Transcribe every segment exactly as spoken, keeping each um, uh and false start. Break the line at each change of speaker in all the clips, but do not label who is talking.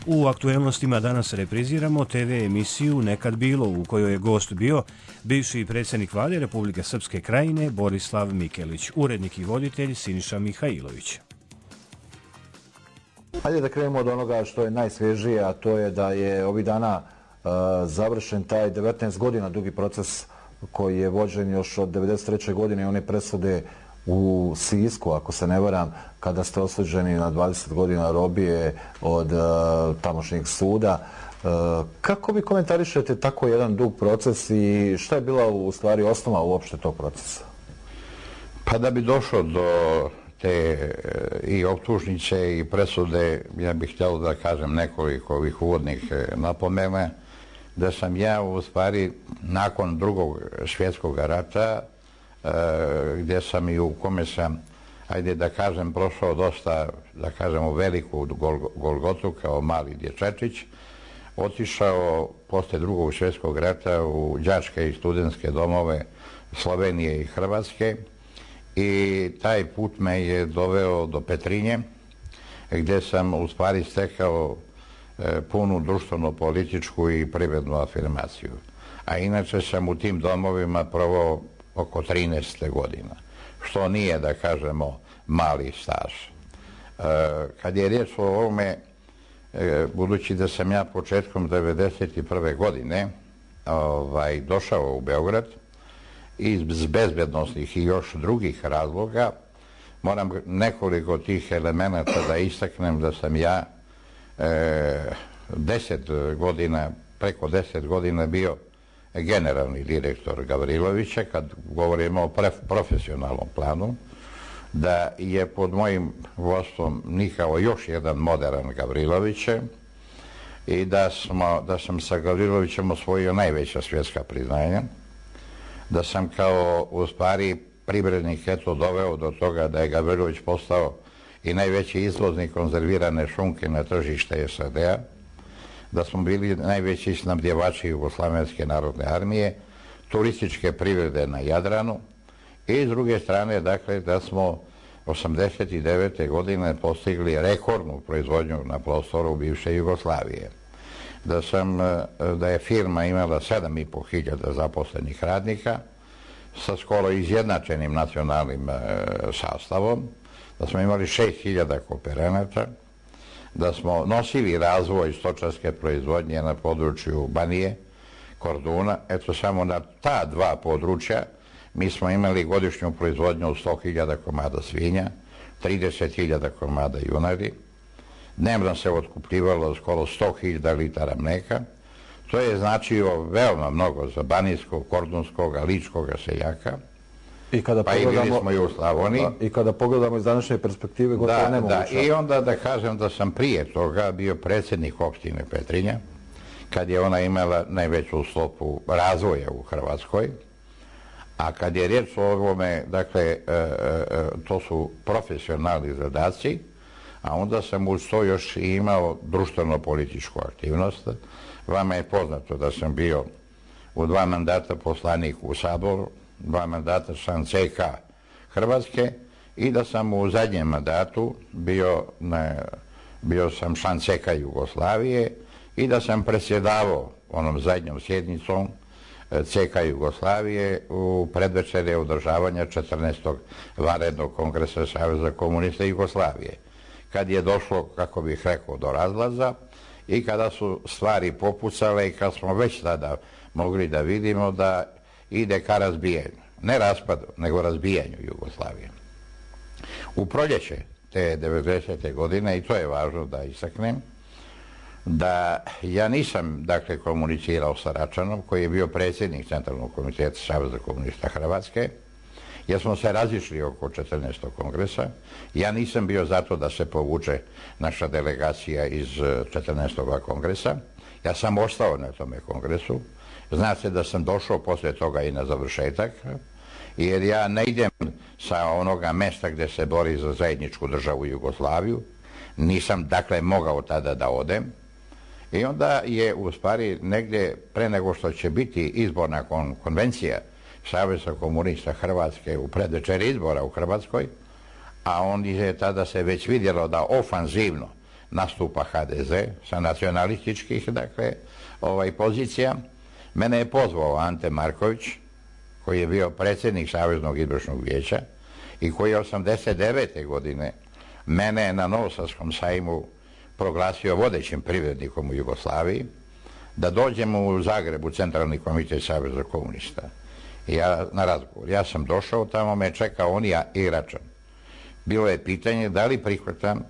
U aktuelnostima danas repriziramo te ve emisiju Nekad bilo, u kojoj je gost bio bivši predsjednik vlade Republike Srpske Krajine Borislav Mikelić, urednik i voditelj Siniša Mihajlović.
Hajde da krenemo od onoga što je najsvježije, a to je da je ovih dana uh, završen taj devetnaest godina dugi proces koji je vođen još od devedeset treće godine i one presude u Sisku, ako se ne varam, kada ste osuđeni na dvadeset godina robije od uh, tamošnjeg suda. Uh, kako vi komentarišete tako jedan dug proces i šta je bila u stvari osnova uopšte tog procesa?
Pa da bi došlo do te i optužnice i presude, ja bih htjela da kažem nekoliko ovih uvodnih napomena, da sam ja u stvari nakon drugog svjetskog rata, gdje sam i u kome sam, ajde da kažem, prošao dosta, da kažemo, veliku golgotu kao mali dječačić, otišao posle drugog svjetskog rata u đačke i studentske domove Slovenije i Hrvatske i taj put me je doveo do Petrinje, gdje sam u stvari stekao punu društveno-političku i privrednu afirmaciju. A inače sam u tim domovima provao oko trinaest godina, što nije, da kažemo, mali staž. Kad je riječ o ovome, budući da sam ja početkom devedeset prve godine ovaj, došao u Beograd iz bezbednosnih i još drugih razloga, moram nekoliko tih elemenata da istaknem da sam ja e, deset godina, preko deset godina bio generalni direktor Gavrilovića, kad govorimo o profesionalnom planu, da je pod mojim vodstvom nikao još jedan modern Gavriloviće i da, smo, da sam sa Gavrilovićem osvojio najveća svjetska priznanja, da sam kao u stvari privrednik eto doveo do toga da je Gavrilović postao i najveći izvoznik konzervirane šunke na tržište es a de a, da smo bili najveći snabdjevači Jugoslavenske narodne armije, turističke privrede na Jadranu i s druge strane, dakle, da smo osamdeset devete godine postigli rekordnu proizvodnju na prostoru bivše Jugoslavije. Da, sam, da je firma imala sedam i po hiljada zaposlenih radnika sa skoro izjednačenim nacionalnim e, sastavom, da smo imali šest hiljada kooperanata, da smo nosili razvoj stočarske proizvodnje na području Banije, Korduna. Eto, samo na ta dva područja mi smo imali godišnju proizvodnju od sto hiljada komada svinja, trideset hiljada komada junadi. Dnevno se otkupljivalo skoro sto hiljada litara mlijeka. To je značilo veoma mnogo za banijskog, kordunskog, ličkog seljaka.
I kada
pa i bili smo i u Slavoniji.
Da, I kada pogledamo iz današnje perspektive, gotovo
da,
nemoguće.
Da, i onda da kažem da sam prije toga bio predsjednik opštine Petrinja, kad je ona imala najveću stopu razvoja u Hrvatskoj. A kad je riječ o ovome, dakle, e, e, to su profesionalni zadaci, a onda sam uz to još i imao društveno-političku aktivnost. Vama je poznato da sam bio u dva mandata poslanik u Saboru, dva mandata član ce ka Hrvatske i da sam u zadnjem mandatu bio, na, bio sam član ce ka Jugoslavije i da sam predsjedavao onom zadnjom sjednicom ce ka Jugoslavije u predvečerje održavanja četrnaestog vanrednog kongresa Saveza komunista Jugoslavije. Kad je došlo, kako bih rekao, do razlaza i kada su stvari popucale i kad smo već tada mogli da vidimo da ide ka razbijanju. Ne raspadu, nego razbijanju Jugoslavije. U proljeće te devedesete godine, i to je važno da istaknem, da ja nisam, dakle, komunicirao sa Račanom, koji je bio predsjednik Centralnog komiteta Saveza komunista Hrvatske, jer smo se razišli oko četrnaestog kongresa. Ja nisam bio zato da se povuče naša delegacija iz četrnaestog kongresa. Ja sam ostao na tome kongresu. Zna se da sam došao poslije toga i na završetak, jer ja ne idem sa onoga mesta gdje se bori za zajedničku državu Jugoslaviju. Nisam, dakle, mogao tada da odem. I onda je, u stvari, negdje pre nego što će biti izborna kon konvencija Saveza komunista Hrvatske u predvečer izbora u Hrvatskoj, a on je tada se već vidjelo da ofanzivno nastupa ha de ze sa nacionalističkih, dakle, ovaj, pozicija. Mene je pozvao Ante Marković, koji je bio predsjednik Saveznog izvršnog vijeća i koji je osamdeset devete godine mene na Novosadskom sajmu proglasio vodećim privrednikom u Jugoslaviji, da dođemo u Zagreb u Centralni komitet Saveza komunista. Ja, na razgovor. Ja sam došao, tamo me čekao on i Račan. Bilo je pitanje da li prihvatam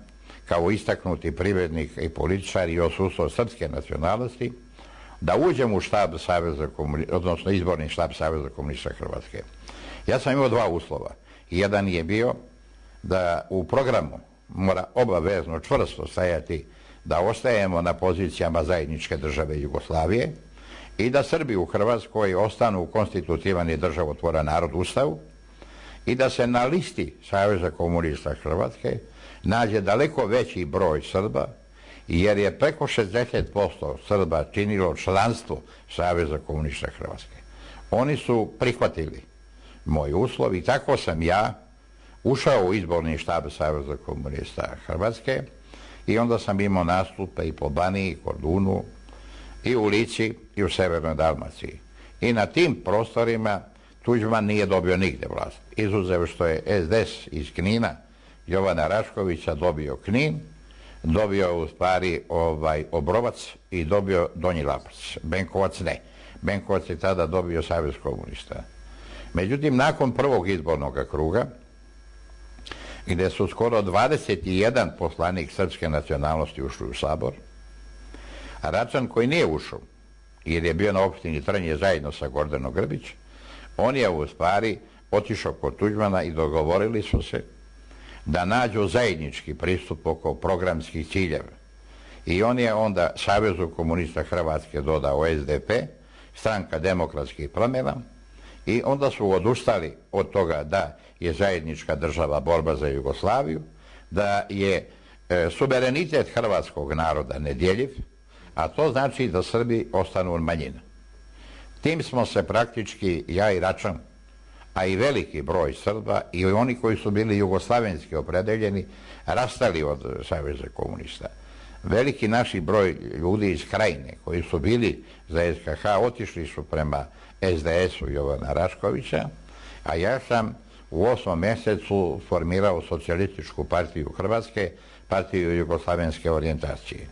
kao istaknuti privrednik i političar i odsustvo srpske nacionalnosti da uđem u štab Saveza komunista, odnosno izborni štab Saveza komunista Hrvatske. Ja sam imao dva uslova. Jedan je bio da u programu mora obavezno čvrsto stajati da ostajemo na pozicijama zajedničke države Jugoslavije i da Srbi u Hrvatskoj ostanu konstitutivan i državotvoran narod Ustavu i da se na listi Saveza komunista Hrvatske nađe daleko veći broj Srba, jer je preko šezdeset posto Srba činilo članstvo Saveza komunista Hrvatske. Oni su prihvatili moj uslov i tako sam ja ušao u izborni štab Saveza komunista Hrvatske i onda sam imao nastupe i po Baniji, Kordunu, i u Lici, i u Severnoj Dalmaciji. I na tim prostorima Tuđman nije dobio nigde vlast. Izuzev što je es de es iz Knina, Jovana Raškovića, dobio Knin, dobio u stvari ovaj, Obrovac i dobio Donji Lapac. Benkovac ne. Benkovac je tada dobio Savez komunista. Međutim, nakon prvog izbornog kruga, gdje su skoro dvadeset jedan poslanik srpske nacionalnosti ušli u Sabor, a Račan koji nije ušao, jer je bio na opštini Trnje zajedno sa Gordanom Grbić, on je u stvari otišao kod Tuđmana i dogovorili su se da nađu zajednički pristup oko programskih ciljeva. I on je onda Savezu komunista Hrvatske dodao es de pe, Stranka demokratskih promjena, i onda su odustali od toga da je zajednička država borba za Jugoslaviju, da je e, suverenitet hrvatskog naroda nedjeljiv, a to znači da Srbi ostanu manjina. Tim smo se praktički, ja i Račan, a i veliki broj Srba i oni koji su bili jugoslavenski opredeljeni, rastali od Saveza komunista. Veliki naši broj ljudi iz Krajine koji su bili za es ka ha otišli su prema es de esu Jovana Raškovića, a ja sam u osmom mjesecu formirao Socijalističku partiju Hrvatske, partiju jugoslavenske orijentacije.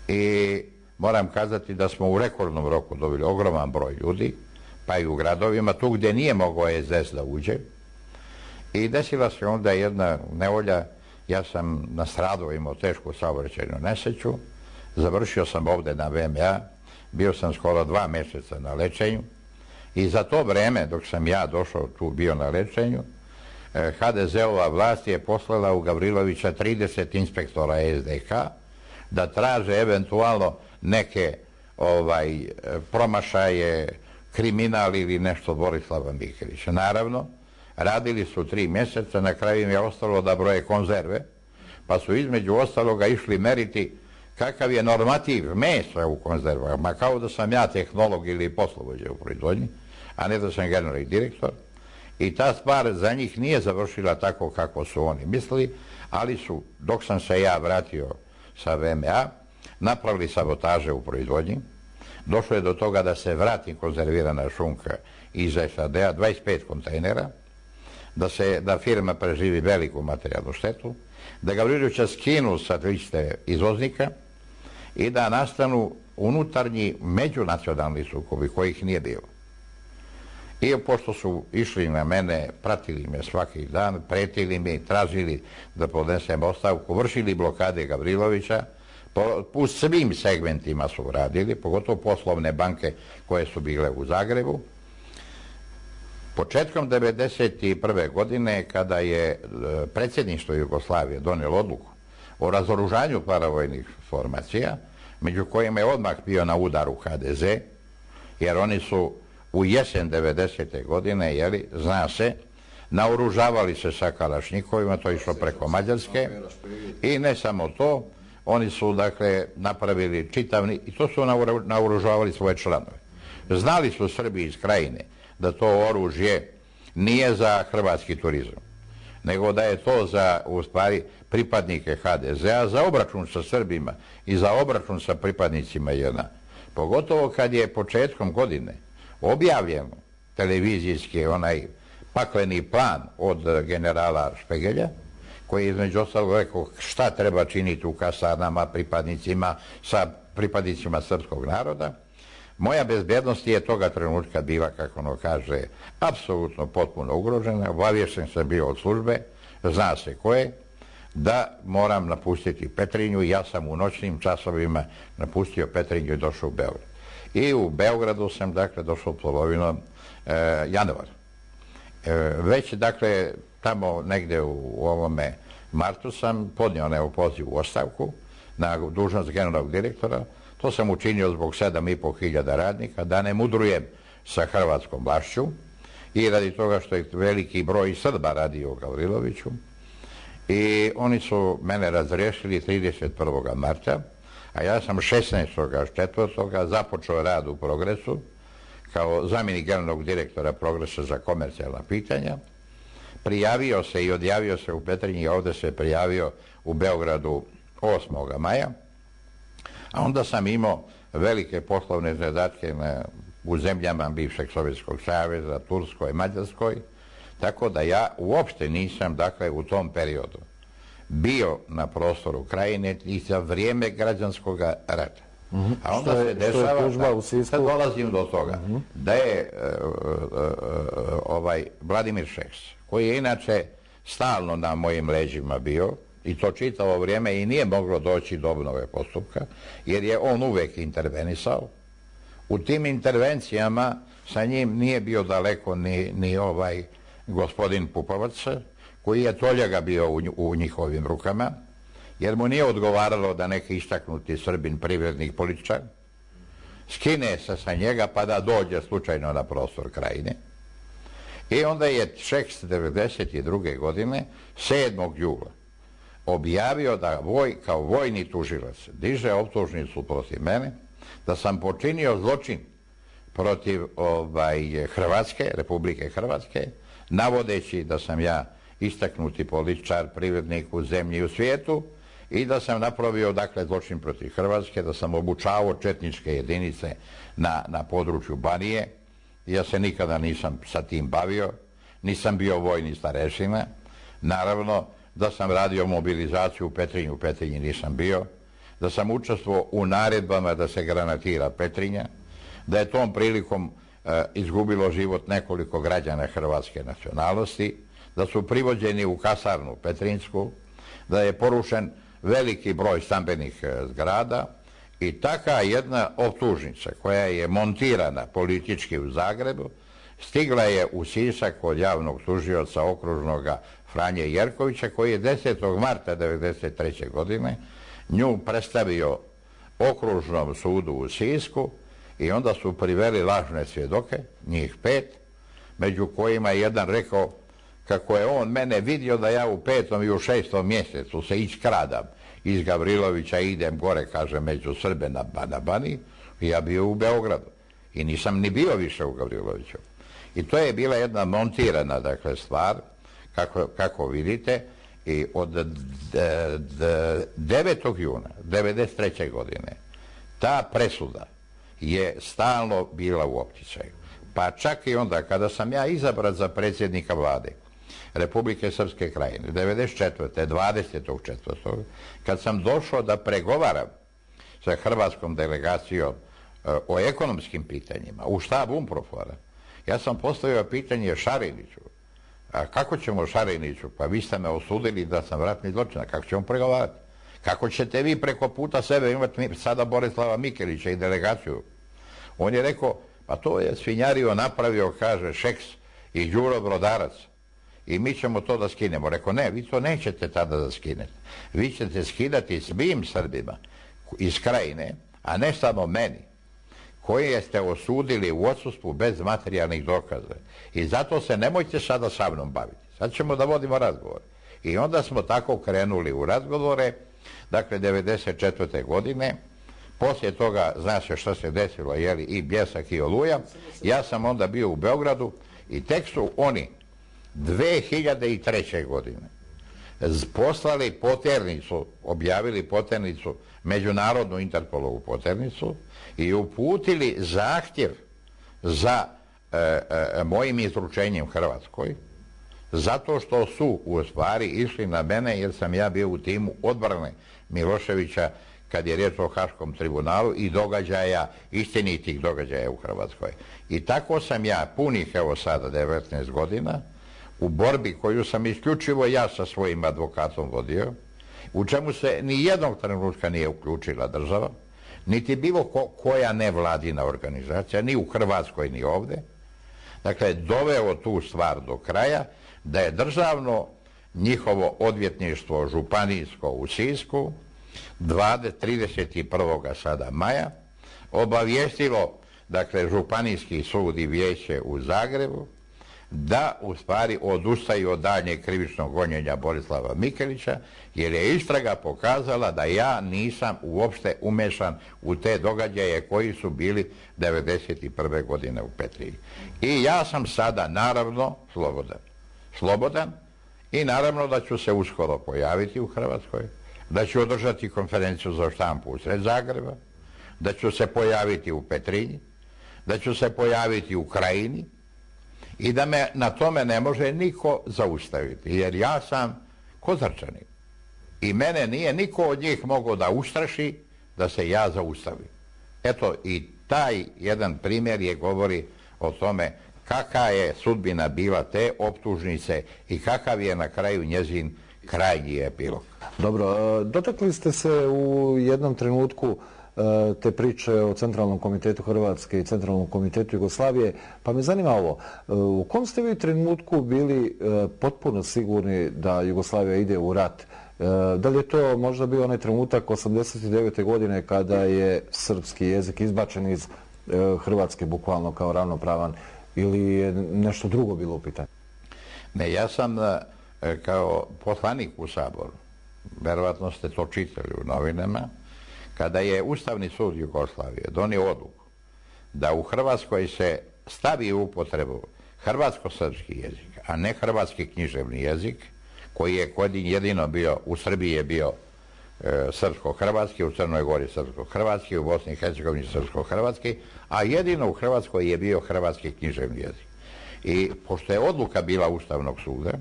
I moram kazati da smo u rekordnom roku dobili ogroman broj ljudi, pa i u gradovima, tu gdje nije mogao es de es da uđe. I desila se onda jedna nevolja, ja sam nastradao, imao tešku saobraćajnu nesreću, završio sam ovdje na ve em a, bio sam skoro dva mjeseca na lečenju i za to vreme, dok sam ja došao tu bio na lečenju, ha de ze-ova vlast je poslala u Gavrilovića trideset inspektora es de ka da traže eventualno neke ovaj, promašaje, kriminal ili nešto od Borislava Mikelića. Naravno, radili su tri mjeseca, na kraju im je ostalo da broje konzerve, pa su između ostaloga išli meriti kakav je normativ mesa u konzervama, kao da sam ja tehnolog ili poslovođa u proizvodnji, a ne da sam generalni direktor. I ta stvar za njih nije završila tako kako su oni mislili, ali su, dok sam se ja vratio sa ve em a, napravili sabotaže u proizvodnji. Došlo je do toga da se vrati konzervirana šunka iz es a de a, dvadeset pet kontejnera, da, se, da firma preživi veliku materijalnu štetu, da Gavrilovića skinu sa liste izvoznika i da nastanu unutarnji međunacionalni sukobi kojih nije bilo. I pošto su išli na mene, pratili me svaki dan, pretili mi, tražili da podnesem ostavku, vršili blokade Gavrilovića, po, po svim segmentima su radili, pogotovo poslovne banke koje su bile u Zagrebu. Početkom devedeset prve godine, kada je predsjedništvo Jugoslavije donijelo odluku o razoružanju paravojnih formacija, među kojima je odmah bio na udaru ha de ze, jer oni su u jesen devedesete godine, jeli, zna se, naoružavali se sa kalašnjikovima, to je išlo preko Mađarske, i ne samo to, oni su, dakle, napravili čitavni, i to su naoružavali svoje članove. Znali su Srbi iz Krajine da to oružje nije za hrvatski turizam, nego da je to za, u stvari, pripadnike ha de zea, za obračun sa Srbima i za obračun sa pripadnicima je en a. Pogotovo kad je početkom godine objavljen televizijski onaj pakleni plan od generala Špegelja, koji je između ostalog rekao šta treba činiti u kasarnama pripadnicima, sa pripadnicima srpskog naroda. Moja bezbjednost je toga trenutka bila, kako ono kaže, apsolutno potpuno ugrožena. Obaviješten sam bio od službe, zna se koje, da moram napustiti Petrinju i ja sam u noćnim časovima napustio Petrinju i došao u Beograd. I u Beogradu sam, dakle, došao polovinom e, januara. E, već, dakle, tamo negde u, u ovome martu sam podnio nevo poziv u ostavku na dužnost generalnog direktora. To sam učinio zbog sedam i po hiljada radnika, da ne mudrujem sa hrvatskom vlašću i radi toga što je veliki broj Srba radio u Gavriloviću. I oni su mene razriješili trideset prvog marta, a ja sam šesnaestog četvrtog započeo rad u Progresu kao zamjenik generalnog direktora Progresa za komercijalna pitanja. Prijavio se i odjavio se u Petrinji i ovdje se prijavio u Beogradu osmog maja. A onda sam imao velike poslovne zadatke na, u zemljama bivšeg Sovjetskog saveza, Turskoj, Mađarskoj, tako da ja uopšte nisam, dakle, u tom periodu bio na prostoru Krajine i za vrijeme građanskog rata.
Mm-hmm.
A onda
je,
se dešava,
da,
sad dolazim do toga, mm-hmm. da je uh, uh, uh, ovaj Vladimir Šeks, koji je inače stalno na mojim leđima bio, i to čitavo vrijeme i nije moglo doći do obnove postupka, jer je on uvek intervenisao. U tim intervencijama sa njim nije bio daleko ni, ni ovaj gospodin Pupovac, koji je toljaga bio u, u njihovim rukama, jer mu nije odgovaralo da neki istaknuti Srbin, privrednik, političar, skine se sa njega pa da dođe slučajno na prostor Krajine. I onda je Šeks devedeset druge godine, sedmog jula, objavio da voj, kao vojni tužilac diže optužnicu protiv mene, da sam počinio zločin protiv ovaj, Hrvatske, Republike Hrvatske, navodeći da sam ja istaknuti političar, privrednik u zemlji i u svijetu i da sam napravio, dakle, zločin protiv Hrvatske, da sam obučavao četničke jedinice na, na području Banije. Ja se nikada nisam sa tim bavio, nisam bio vojni starešina. Naravno, da sam radio mobilizaciju u Petrinju, u Petrinji nisam bio, da sam učestvovao u naredbama da se granatira Petrinja, da je tom prilikom e, izgubilo život nekoliko građana hrvatske nacionalnosti, da su privođeni u kasarnu Petrinjsku, da je porušen veliki broj stambenih e, zgrada i taka jedna optužnica koja je montirana politički u Zagrebu, stigla je u Sisak od javnog tužioca okružnog Franje Jerkovića, koji je desetog marta devedeset treće godine nju predstavio okružnom sudu u Sisku i onda su priveli lažne svjedoke, njih pet, među kojima je jedan rekao kako je on mene vidio da ja u petom i u šestom mjesecu se iskradam iz Gavrilovića i idem gore, kaže, među Srbe na, na Baniji, i ja bio u Beogradu i nisam ni bio više u Gavriloviću. I to je bila jedna montirana, dakle, stvar, kako, kako vidite, i od devetog juna devedeset treće godine ta presuda je stalno bila u opticaju. Pa čak i onda kada sam ja izabran za predsjednika vlade Republike Srpske Krajine devedeset četvrte dvadesetog četvrtog kad sam došao da pregovaram sa hrvatskom delegacijom o ekonomskim pitanjima u štab UNPROFOR-a, ja sam postavio pitanje Šariniću. A kako ćemo Šariniću? Pa vi ste me osudili da sam ratni zločinac. Kako ćemo pregovarati? Kako ćete vi preko puta sebe imati sada Borislava Mikelića i delegaciju? On je rekao, pa to je svinjario napravio, kaže, Šeks i Đuro Brodarac. I mi ćemo to da skinemo. Rekao, ne, vi to nećete tada da skinete. Vi ćete skidati svim Srbima iz Krajine, a ne samo meni, koje ste osudili u odsustvu bez materijalnih dokaza. I zato se nemojte sada sa mnom baviti. Sad ćemo da vodimo razgovore. I onda smo tako krenuli u razgovore, dakle, devedeset četvrte godine. Poslije toga, zna se što se desilo, jeli, i Bljesak i Oluja. Ja sam onda bio u Beogradu i tek su oni dve hiljade treće. godine poslali poternicu, objavili poternicu, međunarodnu Interpolovu poternicu i uputili zahtjev za e, e, mojim izručenjem Hrvatskoj, zato što su u stvari išli na mene jer sam ja bio u timu odbrane Miloševića kad je riječ o Haškom tribunalu i događaja, istinitih događaja u Hrvatskoj. I tako sam ja punih, evo sada, devetnaest godina, u borbi koju sam isključivo ja sa svojim advokatom vodio, u čemu se ni jednog trenutka nije uključila država, niti bilo ko, koja nevladina organizacija, ni u Hrvatskoj ni ovdje, dakle, doveo tu stvar do kraja, da je državno njihovo odvjetništvo županijsko u Sisku trideset prvog sada maja obavijestilo, dakle, županijski sud i vijeće u Zagrebu da u stvari odustaju od daljnjeg krivičnog gonjenja Borislava Mikelića, jer je istraga pokazala da ja nisam uopšte umešan u te događaje koji su bili devedeset prve. godine u Petrinji. I ja sam sada naravno slobodan. Slobodan i naravno da ću se uskoro pojaviti u Hrvatskoj, da ću održati konferenciju za štampu usred Zagreba, da ću se pojaviti u Petrinji, da ću se pojaviti u Krajini i da me na tome ne može niko zaustaviti, jer ja sam Kozarčanin i mene nije niko od njih mogao da ustraši da se ja zaustavim. Eto, i taj jedan primjer je govori o tome kakva je sudbina bila te optužnice i kakav je na kraju njezin krajnji epilog.
Dobro, dotakli ste se u jednom trenutku te priče o Centralnom komitetu Hrvatske i Centralnom komitetu Jugoslavije, pa me zanima ovo, u kom ste vi trenutku bili potpuno sigurni da Jugoslavija ide u rat? Da li je to možda bio onaj trenutak osamdeset devete. godine kada je srpski jezik izbačen iz Hrvatske bukvalno kao ravnopravan, ili je nešto drugo bilo u pitanju?
Ne, ja sam kao poslanik u Saboru, verovatno ste to čitali u novinama, kada je Ustavni sud Jugoslavije donio odluku da u Hrvatskoj se stavi u upotrebu hrvatsko-srpski jezik, a ne hrvatski književni jezik, koji je jedino bio, u Srbiji je bio e, srpsko-hrvatski, u Crnoj Gori srpsko-hrvatski, u Bosni i Hercegovini srpsko-hrvatski, a jedino u Hrvatskoj je bio hrvatski književni jezik. I pošto je odluka bila Ustavnog suda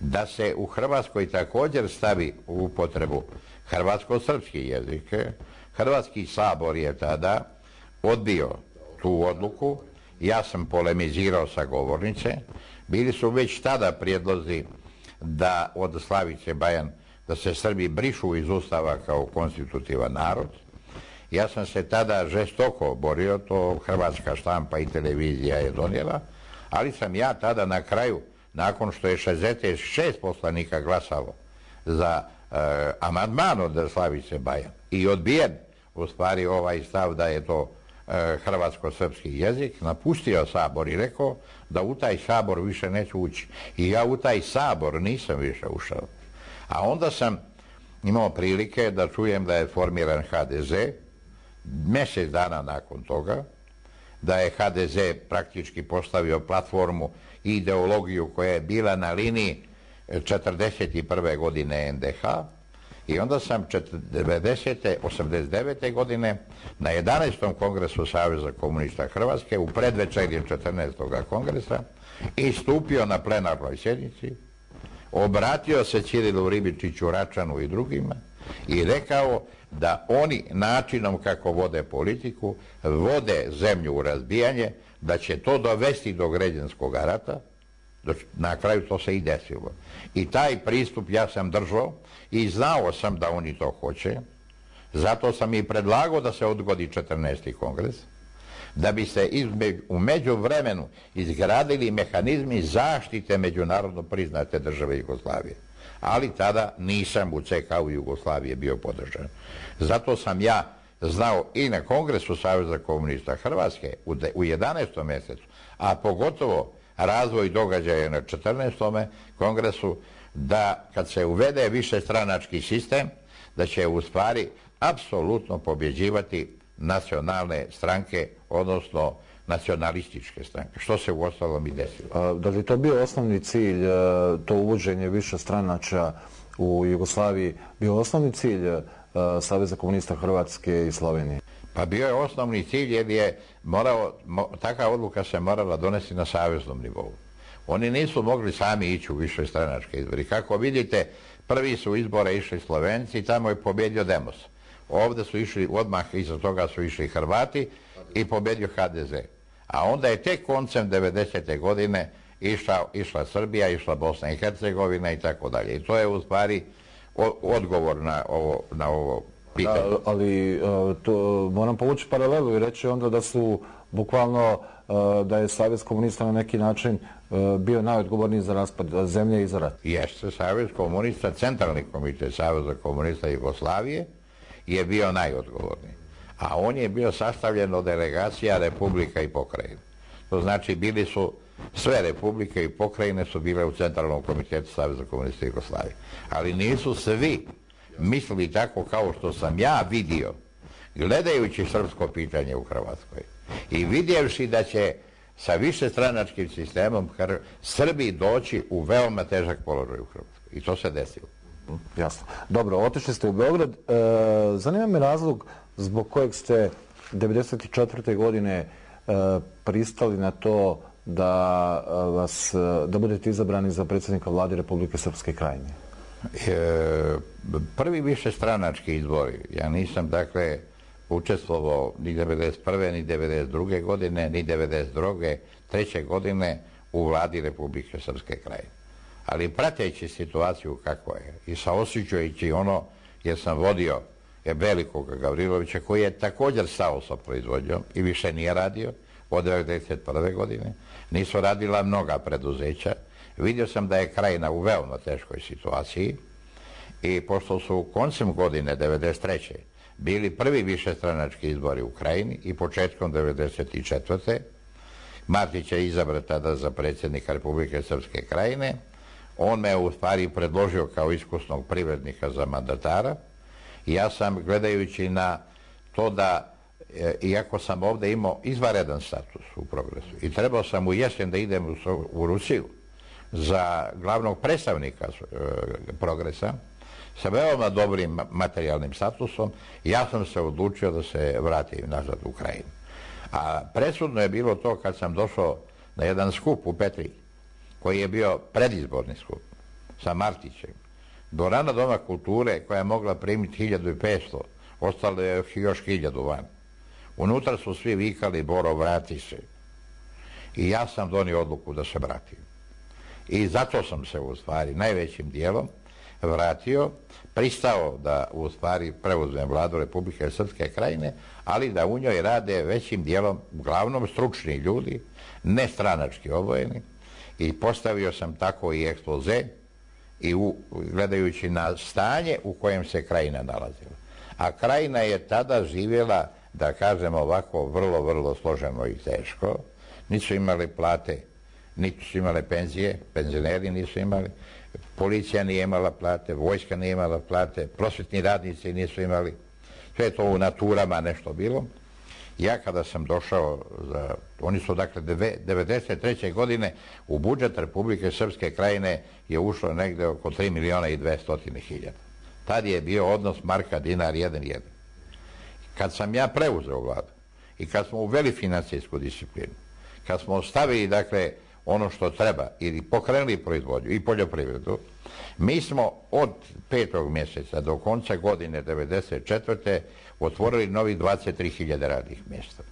da se u Hrvatskoj također stavi u upotrebu hrvatsko-srpski jezik, Hrvatski sabor je tada odbio tu odluku. Ja sam polemizirao sa govornice. Bili su već tada prijedlozi da od Slavice Bajan da se Srbi brišu iz Ustava kao konstitutivan narod. Ja sam se tada žestoko borio, to hrvatska štampa i televizija je donijela, ali sam ja tada na kraju, nakon što je šezdeset šest poslanika glasalo za uh, amandman od Slavice Bajan i odbijen u stvari ovaj stav da je to uh, hrvatsko-srpski jezik, napustio Sabor i rekao da u taj Sabor više neću ući. I ja u taj Sabor nisam više ušao. A onda sam imao prilike da čujem da je formiran ha de ze, mjesec dana nakon toga, da je ha de ze praktički postavio platformu i ideologiju koja je bila na liniji četrdeset prve. godine en de ha, i onda sam devedesete. osamdeset devete. godine na jedanaestom kongresu Saveza komunista Hrvatske u predvečerje četrnaestog kongresa istupio na plenarnoj sjednici, obratio se Ćirilu Ribičiću, Račanu i drugima i rekao da oni načinom kako vode politiku vode zemlju u razbijanje, da će to dovesti do građanskog rata. Na kraju to se i desilo. I taj pristup ja sam držao i znao sam da oni to hoće. Zato sam i predlagao da se odgodi četrnaesti kongres, da bi se u međuvremenu izgradili mehanizmi zaštite međunarodno priznate države Jugoslavije. Ali tada nisam u ce ka u Jugoslavije bio podržan. Zato sam ja znao i na Kongresu Saveza komunista Hrvatske u jedanaestom mjesecu, a pogotovo razvoj događaja na četrnaestom kongresu, da kad se uvede višestranački sistem, da će u stvari apsolutno pobjeđivati nacionalne stranke, odnosno nacionalističke stranke, što se uostalom i desilo.
Da li to bio osnovni cilj, to uvođenje više stranača u Jugoslaviji, bio osnovni cilj Saveza komunista Hrvatske i Slovenije?
Pa bio je osnovni cilj jer je morao, takva odluka se morala donesti na saveznom nivou. Oni nisu mogli sami ići u više stranačke izbori. Kako vidite, prvi su izbore išli Slovenci i tamo je pobjedio Demos. Ovdje su išli, odmah iza toga su išli Hrvati i pobjedio ha de ze. A onda je tek koncem devedesete godine išla, išla Srbija, išla Bosna i Hercegovina i tako dalje. I to je u stvari odgovor na ovo, na ovo pitanje.
Da, ali to, moram povući paralelu i reći onda da su bukvalno da je Savez komunista na neki način bio najodgovorniji za raspad zemlje i za rat.
Jeste, Savez komunista, centralni komitet Saveza komunista Jugoslavije je bio najodgovorniji. A on je bio sastavljen od delegacija republika i pokrajine. To znači bili su, sve republike i pokrajine su bile u centralnom komitetu Saveza komunista Jugoslavije. Ali nisu svi mislili tako kao što sam ja vidio, gledajući srpsko pitanje u Hrvatskoj i vidjevši da će sa višestranačkim sistemom Srbi doći u veoma težak položaj u Hrvatskoj. I to se desilo.
Jasno. Dobro, otišli ste u Beograd. E, zanima me razlog zbog kojeg ste devedeset četvrte godine e, pristali na to da, vas, da budete izabrani za predsjednika vlade Republike Srpske Krajine.
E, prvi višestranački izbori. Ja nisam, dakle, učestvovao ni devedeset prve ni devedeset druge godine, ni devedeset treće godine u vladi Republike Srpske Krajine. Ali prateći situaciju kako je i saosjećajući ono, jer sam vodio velikog Gavrilovića koji je također stao sa proizvodnjom i više nije radio od devedeset prve godine, nisu radila mnoga preduzeća, vidio sam da je Krajina u veoma teškoj situaciji i pošto su koncem godine devedeset treće bili prvi višestranački izbori u Krajini i početkom devedeset četvrte Martić je izabran tada za predsjednika Republike Srpske Krajine. On me u stvari predložio kao iskusnog privrednika za mandatara i ja sam, gledajući na to da, e, iako sam ovdje imao izvanredan status u Progresu i trebao sam u jesen da idem u, u Rusiju za glavnog predstavnika e, Progresa sa veoma dobrim materijalnim statusom, ja sam se odlučio da se vratim nazad u Krajinu. A presudno je bilo to kad sam došao na jedan skup u Petri, koji je bio predizborni skup sa Martićem. Dvorana Doma kulture koja je mogla primiti hiljadu petsto, ostalo je još hiljadu van. Unutra su svi vikali Boro, vrati se. I ja sam donio odluku da se vratim. I zato sam se u stvari najvećim dijelom vratio, pristao da u stvari preuzmem vladu Republike Srpske Krajine, ali da u njoj rade većim dijelom, uglavnom stručni ljudi, ne stranački obojeni, i postavio sam tako i ekspoze i u, gledajući na stanje u kojem se Krajina nalazila. A Krajina je tada živjela, da kažem ovako, vrlo, vrlo složeno i teško. Nisu imali plate, niti su imale penzije, penzioneri nisu imali, policija nije imala plate, vojska nije imala plate, prosvjetni radnici nisu imali, sve to u naturama nešto bilo. Ja kada sam došao, za, oni su dakle devedeset treće godine u budžet Republike Srpske Krajine je ušlo negdje oko tri miliona i dvesta hiljada. Tad je bio odnos marka dinar jedan jedan. Kad sam ja preuzeo vladu i kad smo uveli financijsku disciplinu, kad smo ostavili dakle ono što treba ili pokrenuli proizvodnju i poljoprivredu, mi smo od petog mjeseca do konca godine devedeset četvrte otvorili novih dvadeset tri hiljade radnih mjesta.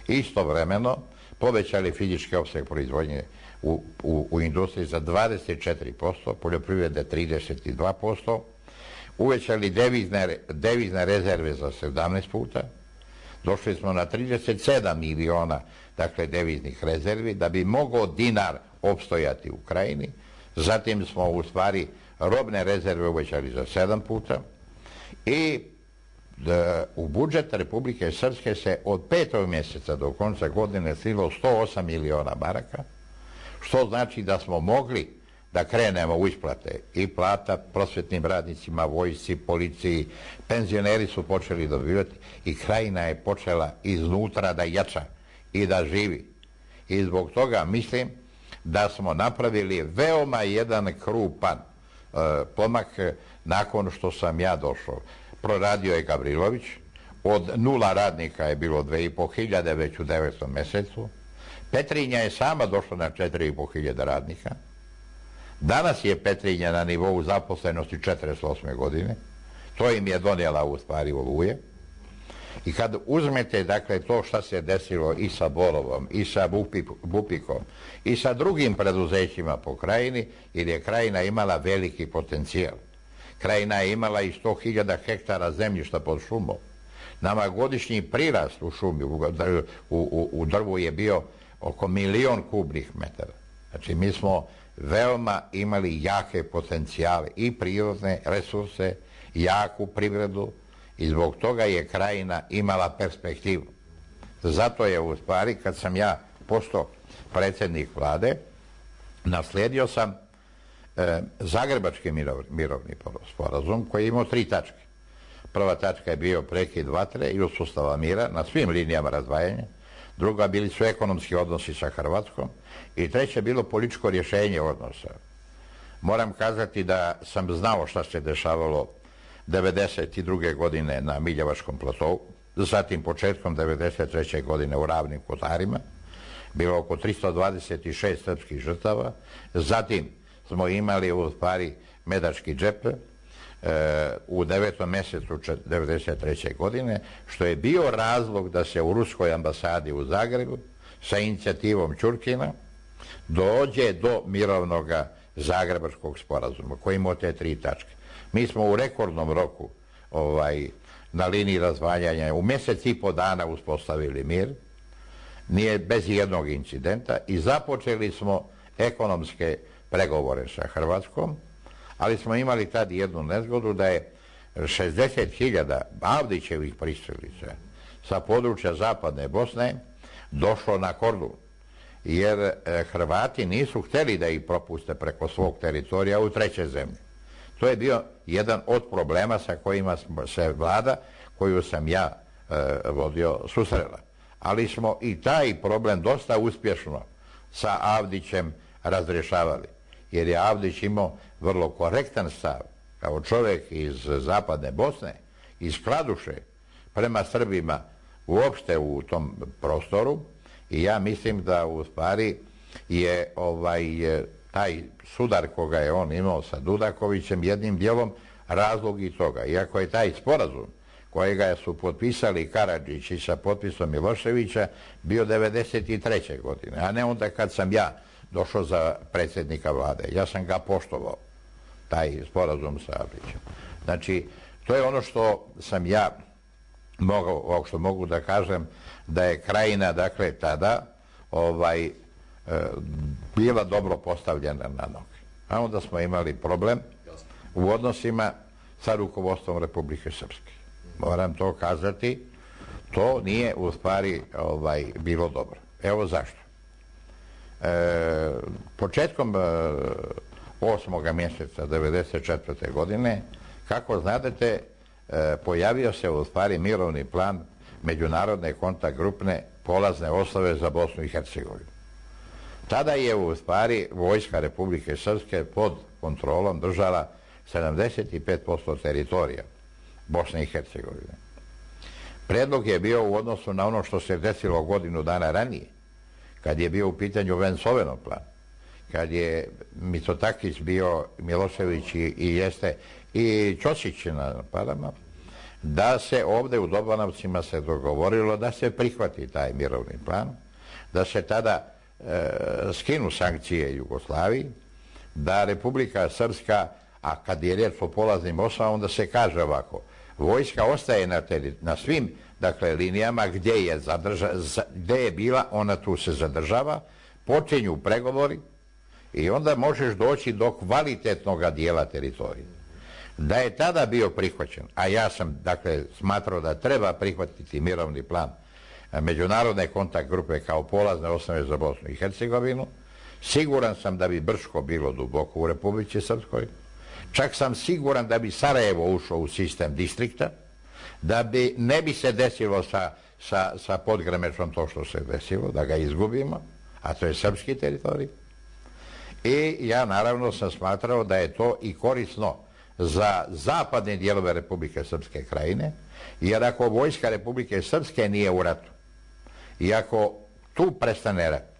Istovremeno povećali fizički opseg proizvodnje u, u, u industriji za dvadeset četiri posto, poljoprivrede trideset dva posto, uvećali devizne, devizne rezerve za sedamnaest puta, došli smo na trideset sedam miliona dakle deviznih rezervi da bi mogao dinar opstojati u Krajini. Zatim smo u stvari robne rezerve uvećali za sedam puta i da, u budžet Republike Srpske se od petog mjeseca do konca godine slilo sto osam miliona maraka, što znači da smo mogli da krenemo u isplate i plata prosvetnim radnicima, vojsci, policiji, penzioneri su počeli dobivati i Krajina je počela iznutra da jača i da živi. I zbog toga mislim da smo napravili veoma jedan krupan e, pomak nakon što sam ja došao. Proradio je Gavrilović, od nula radnika je bilo dve i po hiljade već u devetom mesecu. Petrinja je sama došla na četiri i po hiljade radnika. Danas je Petrinja na nivou zaposlenosti četrdeset osme godine. To im je donijela u stvari Oluje. I kad uzmete, dakle, to šta se desilo i sa Borovom, i sa Bupikom, i sa drugim preduzećima po Krajini, jer je Krajina imala veliki potencijal. Krajina je imala i sto hiljada hektara zemljišta pod šumom. Nama godišnji prirast u šumi, u, u, u drvu je bio oko milion kubnih metara. Znači, mi smo veoma imali jake potencijale i prirodne resurse, jaku privredu i zbog toga je Krajina imala perspektivu. Zato je u stvari, kad sam ja postao predsjednik vlade, naslijedio sam e, Zagrebački mirovni, mirovni sporazum koji je imao tri tačke. Prva tačka je bio prekid vatre i uspostava mira na svim linijama razdvajanja. Druga bili su ekonomski odnosi sa Hrvatskom i treće je bilo političko rješenje odnosa. Moram kazati da sam znao šta se dešavalo devedeset druge godine na Miljevačkom platovu, zatim početkom devedeset treće godine u Ravnim Kotarima, bilo oko tristo dvadeset šest srpskih žrtava, zatim smo imali u stvari Medački džep e, u devetom mjesecu devedeset treće godine, što je bio razlog da se u ruskoj ambasadi u Zagrebu sa inicijativom Ćurkina dođe do mirovnog Zagrebačkog sporazuma koji ima te tri tačke. Mi smo u rekordnom roku ovaj, na liniji razvaljanja u mjesec i po dana uspostavili mir, nije bez jednog incidenta i započeli smo ekonomske pregovore sa Hrvatskom, ali smo imali tad jednu nezgodu da je šezdeset hiljada Avdićevih pristalica sa područja zapadne Bosne došlo na Kordun, jer Hrvati nisu htjeli da ih propuste preko svog teritorija u treće zemlje. To je bio jedan od problema sa kojima se vlada, koju sam ja e, vodio, susrela. Ali smo i taj problem dosta uspješno sa Avdićem razrješavali, jer je Avdić imao vrlo korektan stav kao čovjek iz zapadne Bosne, iz Kladuše, prema Srbima uopšte u tom prostoru i ja mislim da u stvari je ovaj taj sudar koga je on imao sa Dudakovićem jednim dijelom razlog i toga. Iako je taj sporazum kojega su potpisali Karadžić i sa potpisom Miloševića bio devedeset treće godine, a ne onda kad sam ja došao za predsjednika vlade. Ja sam ga poštovao, taj sporazum sa Avdićem. Znači, to je ono što sam ja mogao, što mogu da kažem, da je Krajina, dakle, tada ovaj, bila dobro postavljena na noge. A onda smo imali problem u odnosima sa rukovodstvom Republike Srpske. Moram to kazati, to nije u stvari ovaj, bilo dobro. Evo zašto. E, početkom e, osmoga mjeseca devedeset četvrte godine, kako znadete, e, pojavio se u stvari mirovni plan međunarodne kontakt grupne polazne osnove za Bosnu i Hercegovinu. Tada je u stvari vojska Republike Srpske pod kontrolom držala sedamdeset pet posto teritorija Bosne i Hercegovine. Predlog je bio u odnosu na ono što se desilo godinu dana ranije, kad je bio u pitanju Vencovenov plan, kad je Mitsotakis bio, Milošević i, i jeste i Ćosić na parama, da se ovdje u Dobanovcima se dogovorilo da se prihvati taj mirovni plan, da se tada e, skinu sankcije Jugoslaviji, da Republika Srpska, a kad je riječ o polaznim osnovama, onda se kaže ovako, vojska ostaje na, teri, na svim dakle, linijama gdje je, zadrža, gdje je bila, ona tu se zadržava, počinju pregovori i onda možeš doći do kvalitetnog dijela teritorija. Da je tada bio prihvaćen, a ja sam dakle smatrao da treba prihvatiti mirovni plan međunarodne kontakt grupe kao polazne osnove za Bosnu i Hercegovinu, Siguran sam da bi Brčko bilo duboko u Republici Srpskoj. Čak sam siguran da bi Sarajevo ušlo u sistem distrikta, da bi ne bi se desilo sa, sa, sa Podgremečom to što se desilo, da ga izgubimo, a to je srpski teritorij. I ja naravno sam smatrao da je to i korisno za zapadne dijelove Republike Srpske Krajine, jer ako vojska Republike Srpske nije u ratu i ako tu prestane rat,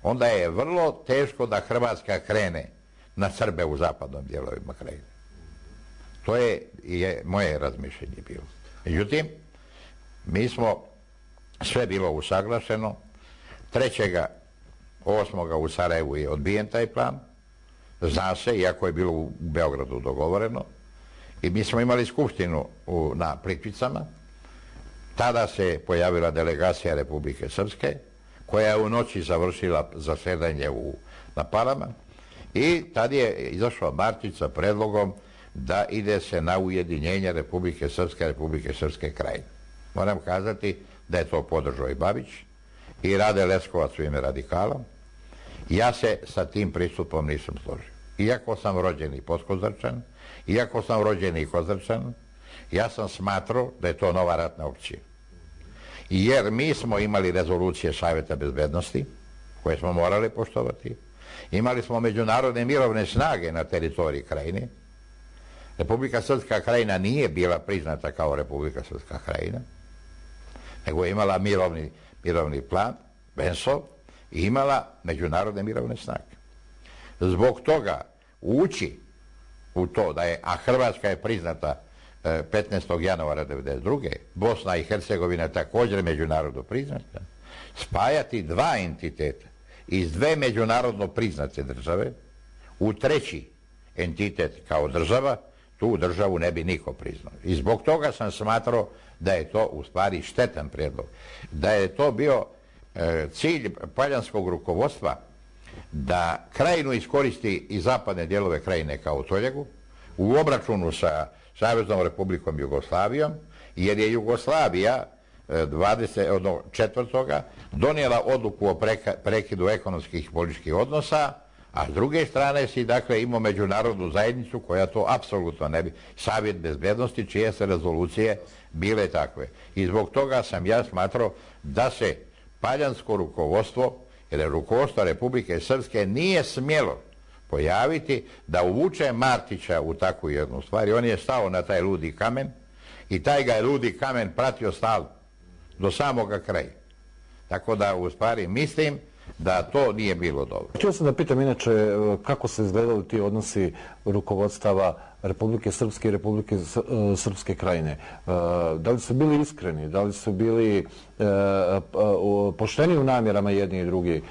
onda je vrlo teško da Hrvatska krene na Srbe u zapadnom dijelovima Krajine. To je, je moje razmišljenje bilo. Međutim, mi smo, sve bilo usaglašeno, trećeg osmoga u Sarajevu je odbijen taj plan, zna se, iako je bilo u Beogradu dogovoreno, i mi smo imali skupštinu u, na Plitvicama. Tada se pojavila delegacija Republike Srpske, koja je u noći završila zasedanje u, na Parama, i tad je izašao Martić sa predlogom da ide se na ujedinjenje Republike Srpske, Republike Srpske Krajine. Moram kazati da je to podržao i Babić i Rade Leskovac u ime radikala. Ja se sa tim pristupom nisam složio. Iako sam rođeni Podkozrčan, iako sam rođeni Kozrčan, ja sam smatrao da je to nova ratna opcija. Jer mi smo imali rezolucije Savjeta bezbednosti, koje smo morali poštovati. Imali smo međunarodne mirovne snage na teritoriji Krajine. Republika Srpska Krajina nije bila priznata kao Republika Srpska Krajina, nego je imala mirovni, mirovni plan, Bensov, i imala međunarodne mirovne snage. Zbog toga ući u to da je, a Hrvatska je priznata petnaestog januara devedeset druge. Bosna i Hercegovina je također međunarodno priznata, spajati dva entiteta iz dve međunarodno priznate države u treći entitet kao država, tu državu ne bi niko priznao. I zbog toga sam smatrao da je to u stvari štetan prijedlog. Da je to bio e, cilj paljanskog rukovodstva da Krajinu iskoristi i zapadne dijelove Krajine kao toljegu u obračunu sa Saveznom Republikom Jugoslavijom, jer je Jugoslavija dvadeset četvrtoga donijela odluku o preka, prekidu ekonomskih i političkih odnosa, a s druge strane si dakle imao međunarodnu zajednicu koja to apsolutno ne bi, Savjet bezbednosti čije se rezolucije bile takve. I zbog toga sam ja smatrao da se paljansko rukovodstvo, jer rukovodstvo Republike Srpske nije smjelo pojaviti da uvuče Martića u takvu jednu stvar. I on je stao na taj ludi kamen i taj ga je ludi kamen pratio stalno do samoga kraja. Tako da u stvari mislim da to nije bilo dobro.
Htio sam da pitam inače kako se izgledali ti odnosi rukovodstava Republike Srpske i Republike Srpske Krajine. Da li su bili iskreni, da li su bili pošteni u namjerama jedni i drugi,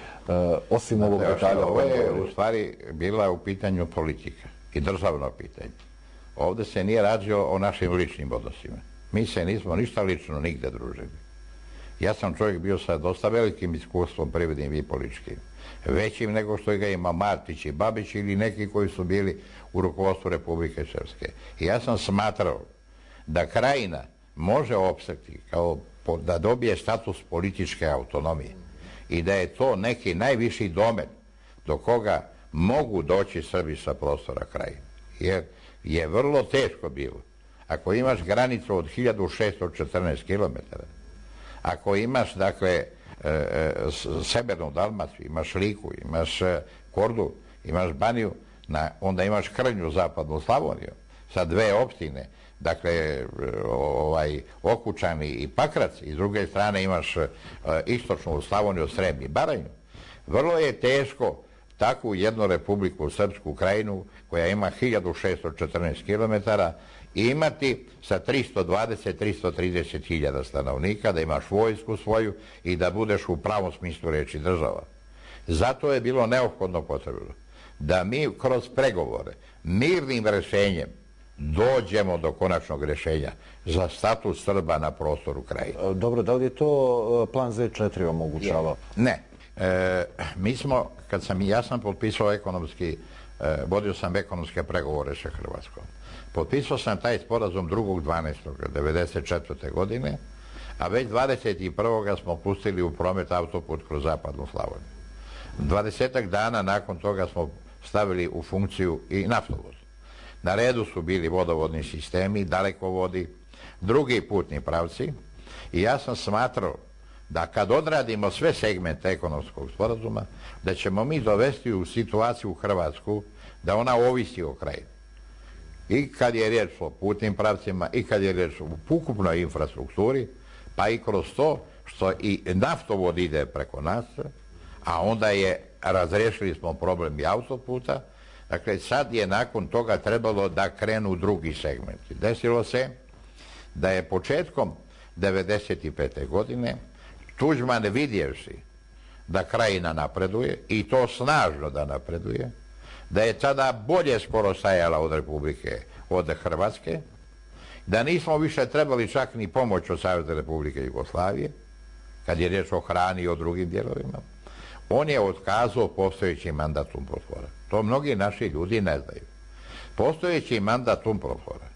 osim ovog detalja?
Ovo je u stvari bila u pitanju politika i državno pitanje. Ovdje se nije rađio o našim ličnim odnosima. Mi se nismo ništa lično nigde družili. Ja sam čovjek bio sa dosta velikim iskustvom privrednim i političkim. Većim nego što ga ima Martić i Babić ili neki koji su bili u rukovodstvu Republike Srpske. I ja sam smatrao da Krajina može opstati kao da dobije status političke autonomije i da je to neki najviši domen do koga mogu doći Srbi sa prostora Krajine. Jer je vrlo teško bilo. Ako imaš granicu od hiljadu šesto četrnaest kilometara, ako imaš, dakle, e, e, severnu Dalmaciju, imaš Liku, imaš e, Kordu, imaš Baniju, na, onda imaš krnju zapadnu Slavoniju sa dve opštine, dakle, e, ovaj, Okučani i Pakrac, i s druge strane imaš e, istočnu Slavoniju, Srem i Baranju. Vrlo je teško takvu jednu Republiku Srpsku Krajinu koja ima hiljadu šesto četrnaest kilometara imati sa tristo dvadeset do tristo trideset hiljada stanovnika, da imaš vojsku svoju i da budeš u pravom smislu reči država. Zato je bilo neophodno potrebno da mi kroz pregovore mirnim rješenjem dođemo do konačnog rješenja za status Srba na prostoru Krajine.
Dobro, da li je to plan Z četiri omogućavao?
Ne. E, mi smo, kad sam, ja sam potpisao ekonomski, e, vodio sam ekonomske pregovore sa Hrvatskom. Potpisao sam taj sporazum drugog dvanaestog devedeset četvrte godine, a već dvadeset prvog smo pustili u promet autoput kroz zapadnu Slavoniju. Dvadesetak dana nakon toga smo stavili u funkciju i naftovod. Na redu su bili vodovodni sistemi, dalekovodi, drugi putni pravci i ja sam smatrao da kad odradimo sve segmente ekonomskog sporazuma, da ćemo mi dovesti u situaciju u Hrvatsku da ona ovisi o kraju. I kad je riječ o putnim pravcima, i kad je riječ o ukupnoj infrastrukturi, pa i kroz to što i naftovod ide preko nas, a onda je, razriješili smo problem i autoputa, dakle sad je nakon toga trebalo da krenu drugi segmenti. Desilo se da je početkom devedeset pete. godine Tuđman vidjevši da Krajina napreduje, i to snažno da napreduje, da je tada bolje skoro stajala od Republike, od Hrvatske, da nismo više trebali čak ni pomoć od Savezne Republike Jugoslavije, kad je riječ o hrani i o drugim dijelovima, on je otkazao postojeći mandat UNPROFOR-a. To mnogi naši ljudi ne znaju. Postojeći mandat UNPROFOR-a,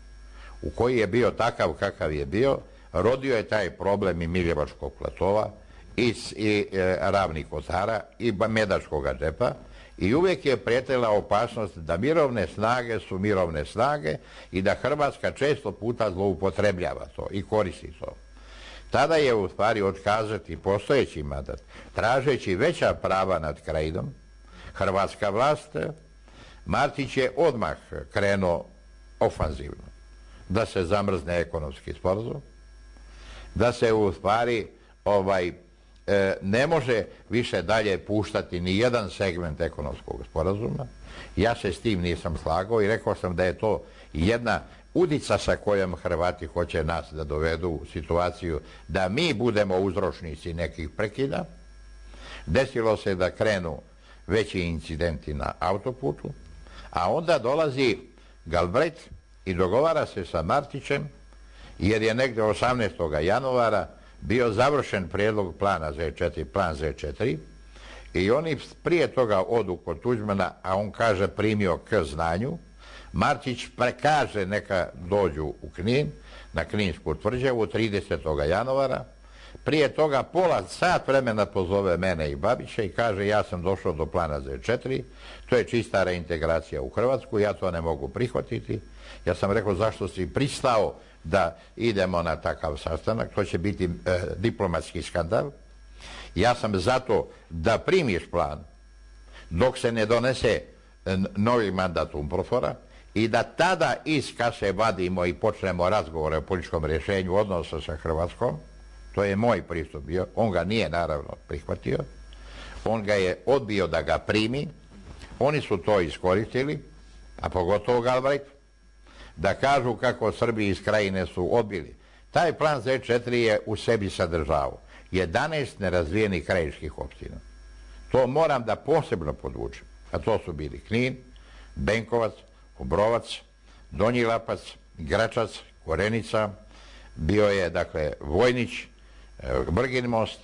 u koji je bio takav kakav je bio, rodio je taj problem i Miljevačkog platova, i, i e, Ravnih Kotara, i Medačkog džepa, i uvijek je prijetila opasnost da mirovne snage su mirovne snage i da Hrvatska često puta zloupotrebljava to i koristi to. Tada je u stvari otkazati postojeći mandat, tražeći veća prava nad Krajinom, hrvatska vlast, Martić je odmah krenuo ofanzivno da se zamrzne ekonomski sporazum, da se u stvari ovaj, e, ne može više dalje puštati ni jedan segment ekonomskog sporazuma. Ja se s tim nisam slagao i rekao sam da je to jedna udica sa kojom Hrvati hoće nas da dovedu u situaciju da mi budemo uzročnici nekih prekida. Desilo se da krenu veći incidenti na autoputu, a onda dolazi Galbraith i dogovara se sa Martićem, jer je negdje osamnaestog januara bio završen prijedlog plana Z četiri, plan Z četiri, i oni prije toga odu kod Tuđmana, a on kaže primio k znanju. Martić prekaže neka dođu u Knin, na Kninsku tvrđavu tridesetog januara. Prije toga pola sat vremena pozove mene i Babića i kaže ja sam došao do plana Z četiri, to je čista reintegracija u Hrvatsku, ja to ne mogu prihvatiti. Ja sam rekao zašto si pristao da idemo na takav sastanak, to će biti e, diplomatski skandal. Ja sam zato da primiš plan dok se ne donese novi mandat UNPROFOR-a i da tada iz kase vadimo i počnemo razgovore o političkom rješenju odnosa sa Hrvatskom. To je moj pristup bio. On ga nije naravno prihvatio. On ga je odbio da ga primi. Oni su to iskoristili, a pogotovo Galbraith, da kažu kako Srbi iz Krajine su odbili. Taj plan Z četiri je u sebi sadržao jedanaest nerazvijenih krajiških opština. To moram da posebno podvučem. A to su bili Knin, Benkovac, Obrovac, Donji Lapac, Gračac, Korenica, bio je, dakle, Vojnić, Brgin most,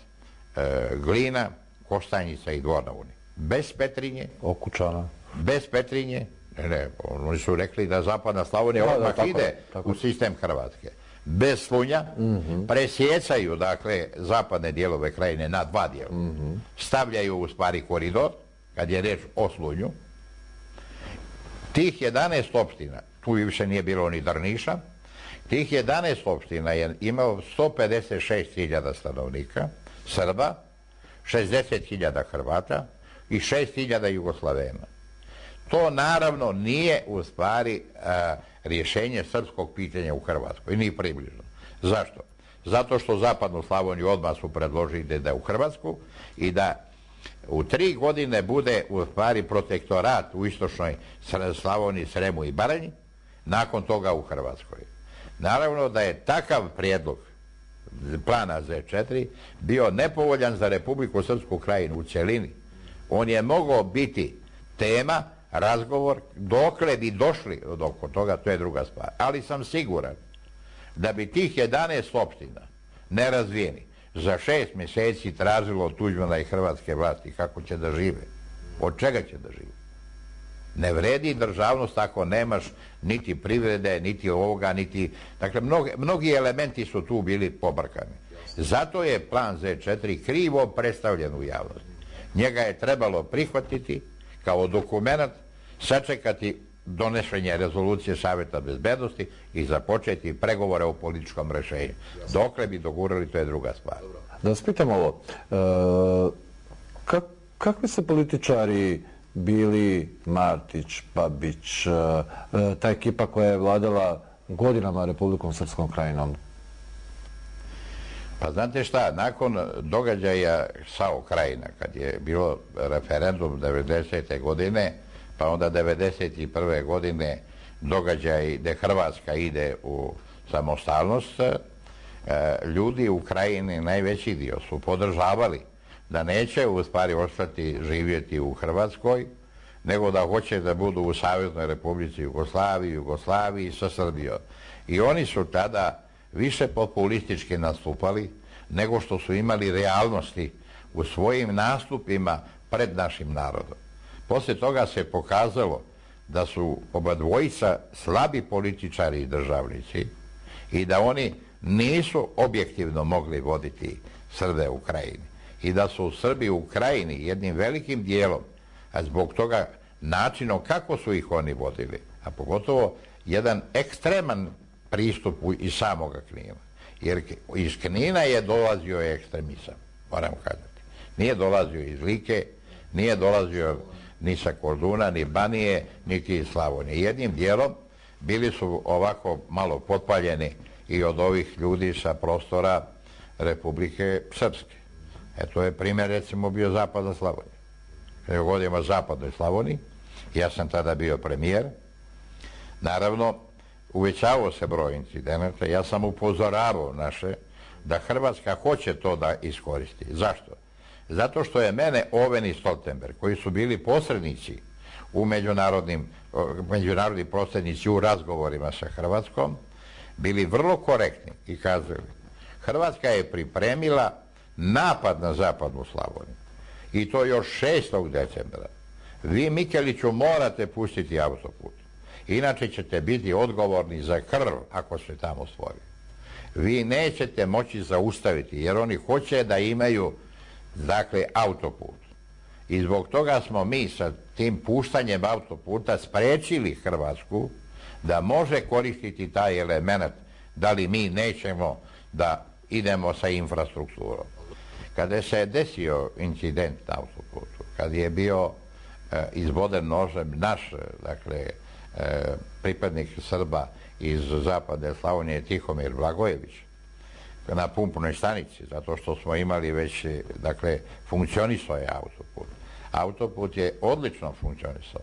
Glina, Kostanjica i Dvor na Uni. Bez Petrinje.
Okučana.
Bez Petrinje. Ne, ne, oni su rekli da Zapadna Slavonija
da,
odmah
da, tako,
ide
tako.
u sistem Hrvatske. Bez Slunja, mm-hmm. presjecaju, dakle, zapadne dijelove Krajine na dva dijela. Mm-hmm. Stavljaju u stvari koridor, kad je reč o Slunju. Tih jedanaest opština, tu više nije bilo ni Drniša, tih jedanaest opština je imao sto pedeset šest hiljada stanovnika, Srba, šezdeset hiljada Hrvata i šest hiljada Jugoslavena. To naravno nije u stvari a, rješenje srpskog pitanja u Hrvatskoj, ni približno. Zašto? Zato što Zapadnu Slavoniju odmah su predložili da je u Hrvatsku i da u tri godine bude u stvari protektorat u istočnoj Slavoniji, Sremu i Baranji, nakon toga u Hrvatskoj. Naravno da je takav prijedlog plana Z četiri bio nepovoljan za Republiku Srpsku Krajinu u cjelini. On je mogao biti tema, razgovor, dokle bi došli od oko toga, to je druga stvar. Ali sam siguran da bi tih jedanaest opština nerazvijeni za šest mjeseci tražilo od Tuđmana i hrvatske vlasti kako će da žive. Od čega će da žive? Ne vredi državnost ako nemaš niti privrede, niti ovoga, niti... Dakle, mnogi, mnogi elementi su tu bili pobrkani. Zato je plan Z četiri krivo predstavljen u javnosti. Njega je trebalo prihvatiti kao dokument, sačekati donošenje rezolucije Saveta bezbednosti i započeti pregovore o političkom rešenju. Dokle bi dogurali, to je druga stvar.
Da vas pitam ovo, kakvi su političari bili Martić, Babić, ta ekipa koja je vladala godinama Republikom Srpskom krajinom?
Pa znate šta, nakon događaja SAO Krajina, kad je bilo referendum devedesete godine, pa onda devedeset prve godine događaj gde Hrvatska ide u samostalnost, ljudi u Krajini, najveći dio, su podržavali da neće u stvari ostati živjeti u Hrvatskoj, nego da hoće da budu u Saveznoj Republici Jugoslaviji, Jugoslaviji sa Srbijom. I oni su tada više populistički nastupali nego što su imali realnosti u svojim nastupima pred našim narodom. Poslije toga se pokazalo da su oba dvojica slabi političari i državnici i da oni nisu objektivno mogli voditi Srbe u Krajini. I da su Srbi u Krajini jednim velikim dijelom, a zbog toga načinom kako su ih oni vodili, a pogotovo jedan ekstreman pristup iz samoga Knina. Jer iz Knina je dolazio ekstremizam, moram kazati. Nije dolazio iz Like, nije dolazio ni sa Korduna, ni Banije, niti iz Slavonije. Jednim dijelom bili su ovako malo potpaljeni i od ovih ljudi sa prostora Republike Srpske. E to je primjer, recimo, bio Zapadna Slavonija. Kada je govorimo o Zapadnoj Slavoniji, ja sam tada bio premijer, naravno, uvećavao se broj incidenata, ja sam upozoravao naše da Hrvatska hoće to da iskoristi. Zašto? Zato što je mene Oven i Stoltenberg, koji su bili posrednici u međunarodnim, međunarodni posrednici u razgovorima sa Hrvatskom, bili vrlo korektni i kazali, Hrvatska je pripremila napad na Zapadnu Slavoniju. I to još šestog decembra. Vi, Mikeliću, morate pustiti autoput. Inače ćete biti odgovorni za krv ako se tamo stvori. Vi nećete moći zaustaviti, jer oni hoće da imaju, dakle, autoput. I zbog toga smo mi sa tim puštanjem autoputa sprečili Hrvatsku da može koristiti taj element, da li mi nećemo da idemo sa infrastrukturom. Kada se je desio incident na autoputu, kad je bio e, izboden nožem naš, dakle, e, pripadnik Srba iz Zapadne Slavonije, Tihomir Blagojević, na pumpnoj stanici, zato što smo imali već, dakle, funkcionisao je autoput. Autoput je odlično funkcionisao.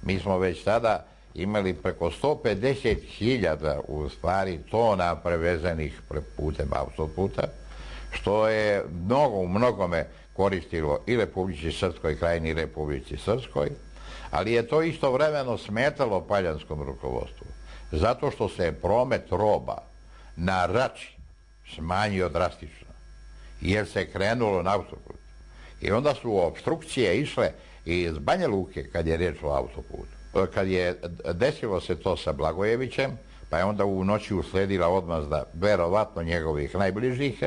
Mi smo već tada imali preko sto pedeset hiljada u stvari tona prevezenih putem autoputa, što je mnogo, u mnogome koristilo i Republici Srpskoj Krajini i Republici Srpskoj, ali je to istovremeno smetalo paljanskom rukovodstvu, zato što se promet roba na Rači smanjio drastično, jer se krenulo na autoput. I onda su opstrukcije išle iz Banja Luke, kad je riječ o autoputu. Kad je desilo se to sa Blagojevićem, pa je onda u noći usledila odmazda verovatno njegovih najbližih,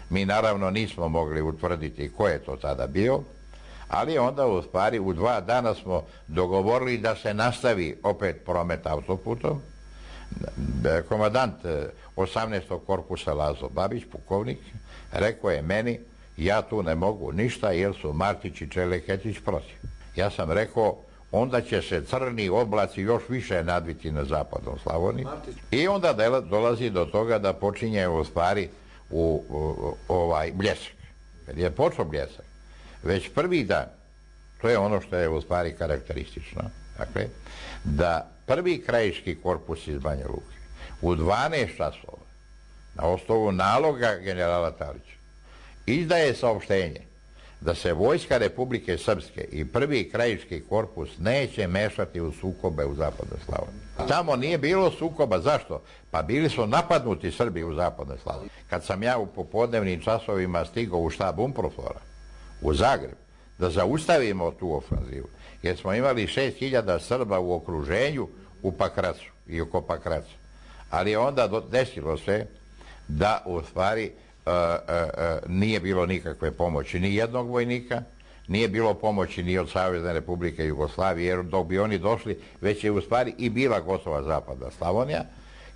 mi naravno nismo mogli utvrditi ko je to tada bio, ali onda u stvari u dva dana smo dogovorili da se nastavi opet promet autoputom. Komandant osamnaestog korpusa Lazo Babić, pukovnik, rekao je meni, ja tu ne mogu ništa jer su Martić i Čeleketić protiv. Ja sam rekao, onda će se crni oblaci još više nadviti na Zapadnom Slavoniji. I onda dolazi do toga da počinje u stvari u, u, u ovaj bljesak. Kad je počeo bljesak, već prvi dan, to je ono što je u stvari karakteristično, dakle, da prvi krajiški korpus iz Banja Luke u dvanaest časova na osnovu naloga generala Talića izdaje saopštenje da se vojska Republike Srpske i prvi krajiški korpus neće mešati u sukobe u Zapadnoj Slavoniji. Tamo nije bilo sukoba. Zašto? Pa bili su napadnuti Srbi u Zapadnoj Slavoniji. Kad sam ja u popodnevnim časovima stigao u štab UNPROFOR-a u Zagreb da zaustavimo tu ofanzivu, jer smo imali šest hiljada Srba u okruženju u Pakracu i oko Pakraca. Ali onda desilo se da u stvari Uh, uh, uh, nije bilo nikakve pomoći ni jednog vojnika, nije bilo pomoći ni od Savezne Republike Jugoslavije, jer dok bi oni došli, već je u stvari i bila gotova zapadna Slavonija.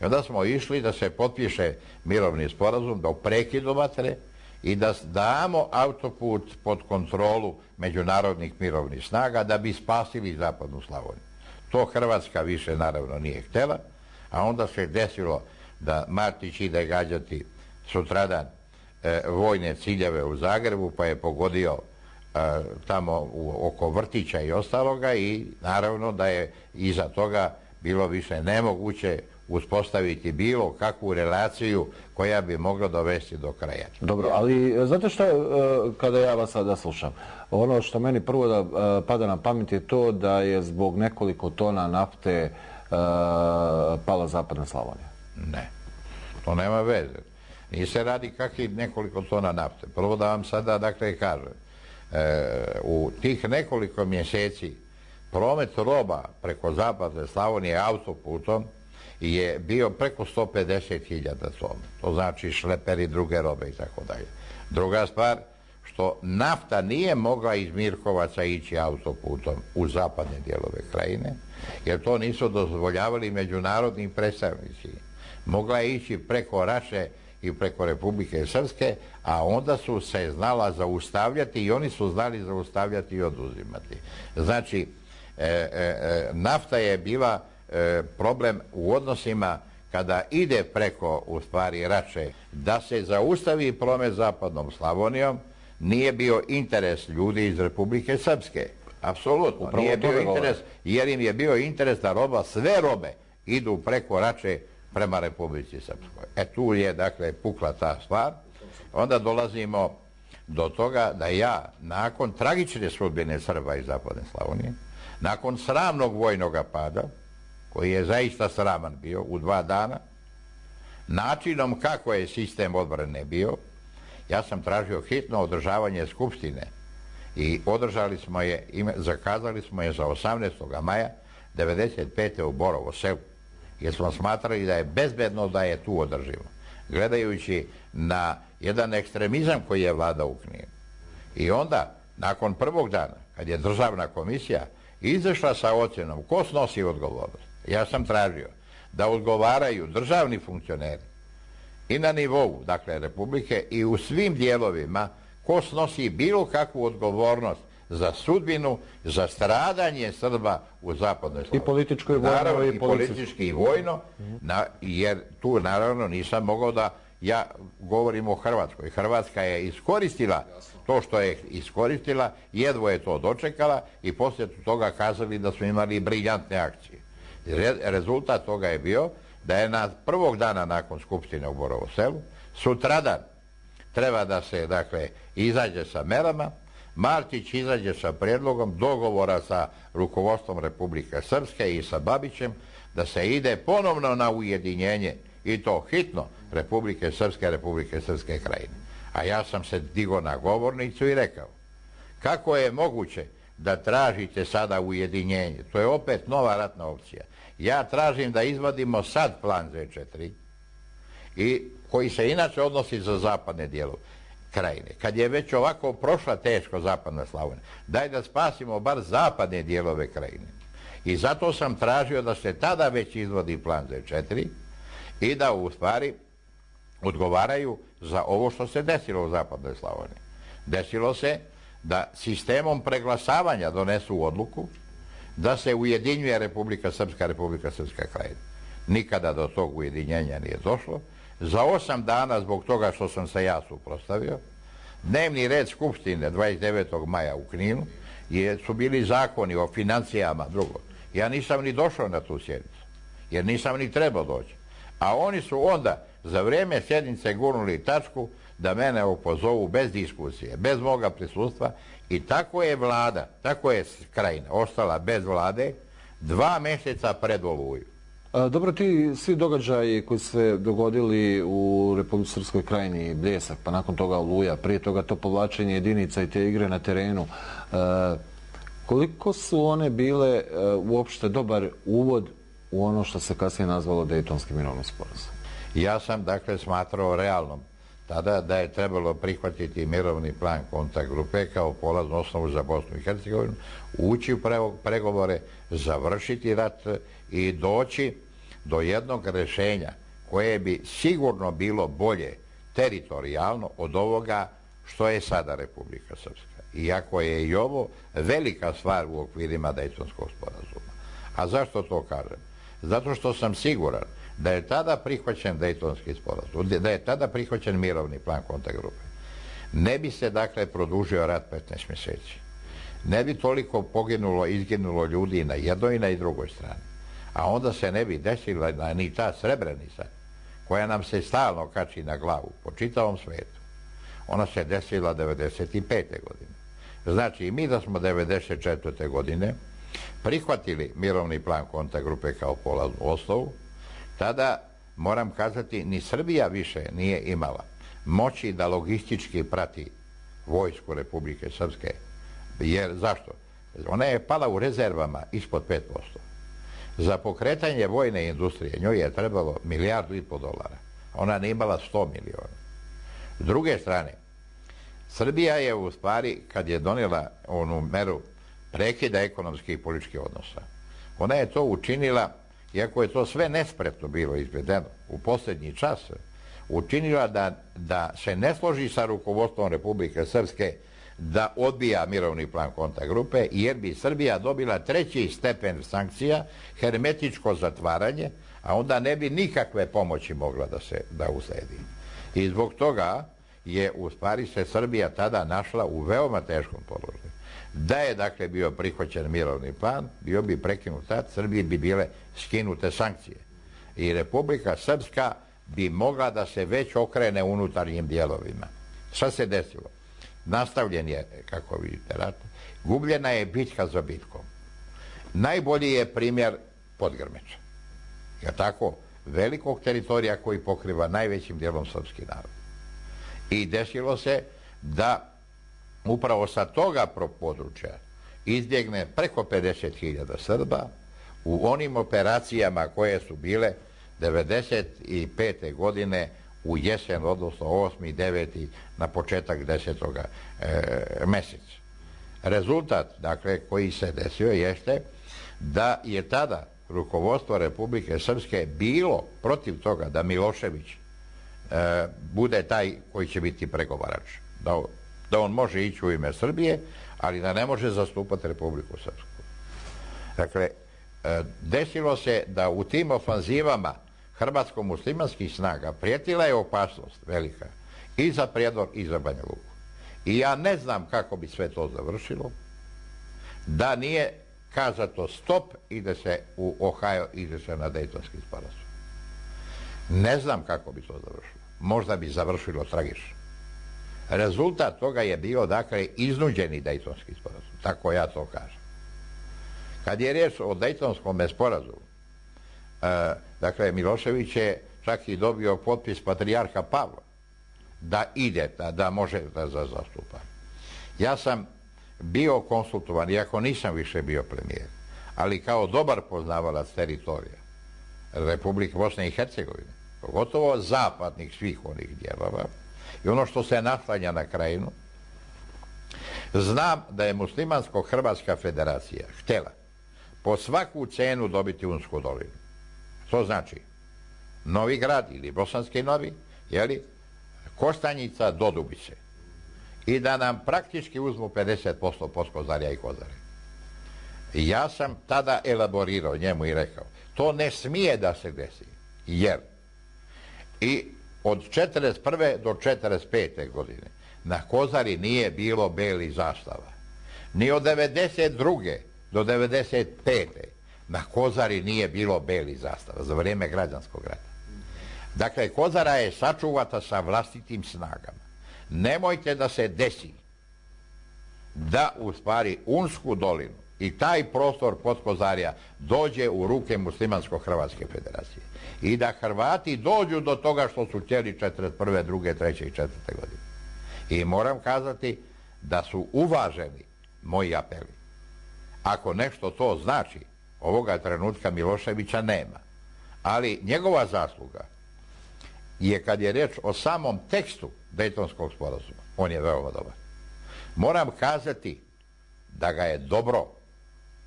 I onda smo išli da se potpiše mirovni sporazum, da prekidu vatre i da damo autoput pod kontrolu međunarodnih mirovnih snaga da bi spasili zapadnu Slavoniju. To Hrvatska više naravno nije htjela, a onda se desilo da Martić ide gađati sutradan e, vojne ciljeve u Zagrebu, pa je pogodio e, tamo u, oko vrtića i ostaloga, i naravno da je iza toga bilo više nemoguće uspostaviti bilo kakvu relaciju koja bi mogla dovesti do kraja.
Dobro, ali znate što, kada ja vas sada slušam, ono što meni prvo da pada na pamet je to da je zbog nekoliko tona nafte pala zapadna Slavonija.
Ne, to nema veze. Nije se radi kakvih nekoliko tona nafte. Prvo da vam sada, dakle, kažem, u tih nekoliko mjeseci promet roba preko zapadne Slavonije autoputom je bio preko sto pedeset hiljada tona. To znači šleperi, druge robe i tako dalje. Druga stvar, što nafta nije mogla iz Mirkovaca ići autoputom u zapadne dijelove krajine, jer to nisu dozvoljavali međunarodni predstavnici. Mogla je ići preko Raše i preko Republike Srpske, a onda su se znala zaustavljati i oni su znali zaustavljati i oduzimati. Znači, e, e, nafta je bila problem u odnosima kada ide preko, u stvari, Rače, da se zaustavi promet zapadnom Slavonijom. Nije bio interes ljudi iz Republike Srpske. Apsolutno. Upravo nije bio interes, jer im je bio interes da roba, sve robe idu preko Rače prema Republici Srpskoj. E tu je, dakle, pukla ta stvar. Onda dolazimo do toga da ja, nakon tragične sudbine Srba iz zapadne Slavonije, nakon sramnog vojnog pada, koji je zaista sraman bio u dva dana, načinom kako je sistem odbrane bio, ja sam tražio hitno održavanje skupštine i održali smo je, zakazali smo je za osamnaestog maja devedeset pete u Borovo selu, jer smo smatrali da je bezbedno da je tu održimo, gledajući na jedan ekstremizam koji je vladao u Kninu. I onda, nakon prvog dana, kad je državna komisija izašla sa ocjenom ko snosi odgovornost, ja sam tražio da odgovaraju državni funkcioneri i na nivou, dakle, Republike, i u svim dijelovima ko snosi bilo kakvu odgovornost za sudbinu, za stradanje Srba u zapadnoj Slavoniji.
I političko i vojno.
Naravno, i politički i vojno, na, jer tu naravno nisam mogao da ja govorim o Hrvatskoj. Hrvatska je iskoristila to što je iskoristila, jedvo je to dočekala i poslije toga kazali da smo imali briljantne akcije. Rezultat toga je bio da je na prvog dana nakon skupštine u Borovo selu, sutradan treba da se, dakle, izađe sa merama, Martić izađe sa prijedlogom dogovora sa rukovodstvom Republike Srpske i sa Babićem da se ide ponovno na ujedinjenje, i to hitno, Republike Srpske, Republike Srpske krajine. A ja sam se digao na govornicu i rekao, kako je moguće da tražite sada ujedinjenje? To je opet nova ratna opcija. Ja tražim da izvadimo sad plan Z četiri, i koji se inače odnosi za zapadne dijelove krajine. Kad je već ovako prošla teško zapadna Slavonija, daj da spasimo bar zapadne dijelove krajine. I zato sam tražio da se tada već izvodi plan Z četiri i da u stvari odgovaraju za ovo što se desilo u zapadnoj Slavoniji. Desilo se da sistemom preglasavanja donesu odluku da se ujedinjuje Republika Srpska, Republika Srpska krajina. Nikada do tog ujedinjenja nije došlo. Za osam dana, zbog toga što sam se ja suprotstavio, dnevni red skupštine dvadeset devetog maja u Kninu je, su bili zakoni o financijama, drugo. Ja nisam ni došao na tu sjednicu, jer nisam ni trebao doći. A oni su onda za vrijeme sjednice gurnuli tačku da mene opozovu bez diskusije, bez moga prisustva, i tako je vlada, tako je krajina ostala bez vlade dva mjeseca pred Oluju.
Dobro, ti svi događaji koji su se dogodili u Republici Srpskoj krajini, Bljesak, pa nakon toga Oluja, prije toga to povlačenje jedinica i te igre na terenu, koliko su one bile uopšte dobar uvod u ono što se kasnije nazvalo Dejtonski mirovni sporazum?
Ja sam, dakle, smatrao realnom tada da je trebalo prihvatiti mirovni plan kontakt grupe kao polaznu osnovu za Bosnu i Hercegovinu, ući u pregovore, završiti rat i doći do jednog rješenja koje bi sigurno bilo bolje teritorijalno od ovoga što je sada Republika Srpska. Iako je i ovo velika stvar u okvirima Dejtonskog sporazuma. A zašto to kažem? Zato što sam siguran da je tada prihvaćen Dejtonski sporazum, da je tada prihvaćen mirovni plan kontakt grupe. Ne bi se dakle produžio rat petnaest mjeseci. Ne bi toliko poginulo, izginulo ljudi na jednoj i na drugoj strani. A onda se ne bi desila ni ta Srebrenica koja nam se stalno kači na glavu po čitavom svijetu. Ona se desila devedeset pete godine. Znači, mi da smo devedeset četvrte godine prihvatili mirovni plan kontakt grupe kao polaznu osnovu, tada, moram kazati, ni Srbija više nije imala moći da logistički prati vojsku Republike Srpske. Jer, zašto? Ona je pala u rezervama ispod pet posto. Za pokretanje vojne industrije njoj je trebalo milijardu i pol dolara. Ona nije imala sto miliona. S druge strane, Srbija je u stvari, kad je donijela onu meru prekida ekonomskih i političkih odnosa, ona je to učinila, iako je to sve nespretno bilo izvedeno u posljednji čas, učinila da, da se ne složi sa rukovodstvom Republike Srpske da odbija mirovni plan kontakt grupe, jer bi Srbija dobila treći stepen sankcija, hermetičko zatvaranje, a onda ne bi nikakve pomoći mogla da se da usledi. I zbog toga je u stvari se Srbija tada našla u veoma teškom položaju. Da je dakle bio prihvaćen mirovni plan, bio bi prekinut rat, Srbiji bi bile skinute sankcije. I Republika Srpska bi mogla da se već okrene unutarnjim dijelovima. Šta se desilo? Nastavljen je, kako vidite, rat. Gubljena je bitka za bitkom. Najbolji je primjer Podgrmeča. Je tako? Velikog teritorija koji pokriva najvećim dijelom srpski narod. I desilo se da upravo sa toga područja izbjegne preko pedeset hiljada Srba u onim operacijama koje su bile devedeset pete godine u jesen, odnosno osmi, deveti na početak desetoga e, mjeseca. Rezultat, dakle, koji se desio jeste da je tada rukovodstvo Republike Srpske bilo protiv toga da Milošević e, bude taj koji će biti pregovarač. Da, da on može ići u ime Srbije, ali da ne može zastupati Republiku Srpsku. Dakle, e, desilo se da u tim ofanzivama hrvatsko-muslimanskih snaga prijetila je opasnost velika i za Prijedor i za Banja Luku. I ja ne znam kako bi sve to završilo da nije kazato stop, ide se u Ohio, ide se na Dejtonski sporazum. Ne znam kako bi to završilo. Možda bi završilo tragično. Rezultat toga je bio, dakle, iznuđeni Dejtonski sporazum. Tako ja to kažem. Kad je riječ o Dejtonskom sporazumu, e, dakle, Milošević je čak i dobio potpis patrijarha Pavla da ide, da, da može da zastupa. Ja sam bio konsultovan, iako nisam više bio premijer, ali kao dobar poznavalac teritorija Republike Bosne i Hercegovine, pogotovo zapadnih svih onih dijelova, i ono što se naslanja na Krajinu, znam da je Muslimansko-Hrvatska federacija htjela po svaku cenu dobiti Unsku dolinu. To znači Novi Grad ili Bosanski Novi, jeli, Kostanjica do Dubice. I da nam praktički uzmu pedeset posto Potkozarja i Kozare. I ja sam tada elaborirao njemu i rekao, to ne smije da se desi, jer i od četrdeset prve do četrdeset pete godine na Kozari nije bilo belih zastava. Ni od devedeset druge do devedeset pete na Kozari nije bilo belih zastava za vrijeme građanskog rata. Dakle, Kozara je sačuvata sa vlastitim snagama. Nemojte da se desi da u stvari Unsku dolinu i taj prostor Potkozarja dođe u ruke Muslimansko-Hrvatske federacije i da Hrvati dođu do toga što su htjeli četrdeset prve, druge, treće i četvrte godine. I moram kazati da su uvaženi moji apeli. Ako nešto to znači, ovoga trenutka Miloševića nema. Ali njegova zasluga je kad je reč o samom tekstu Dejtonskog sporazuma. On je veoma dobar. Moram kazati da ga je dobro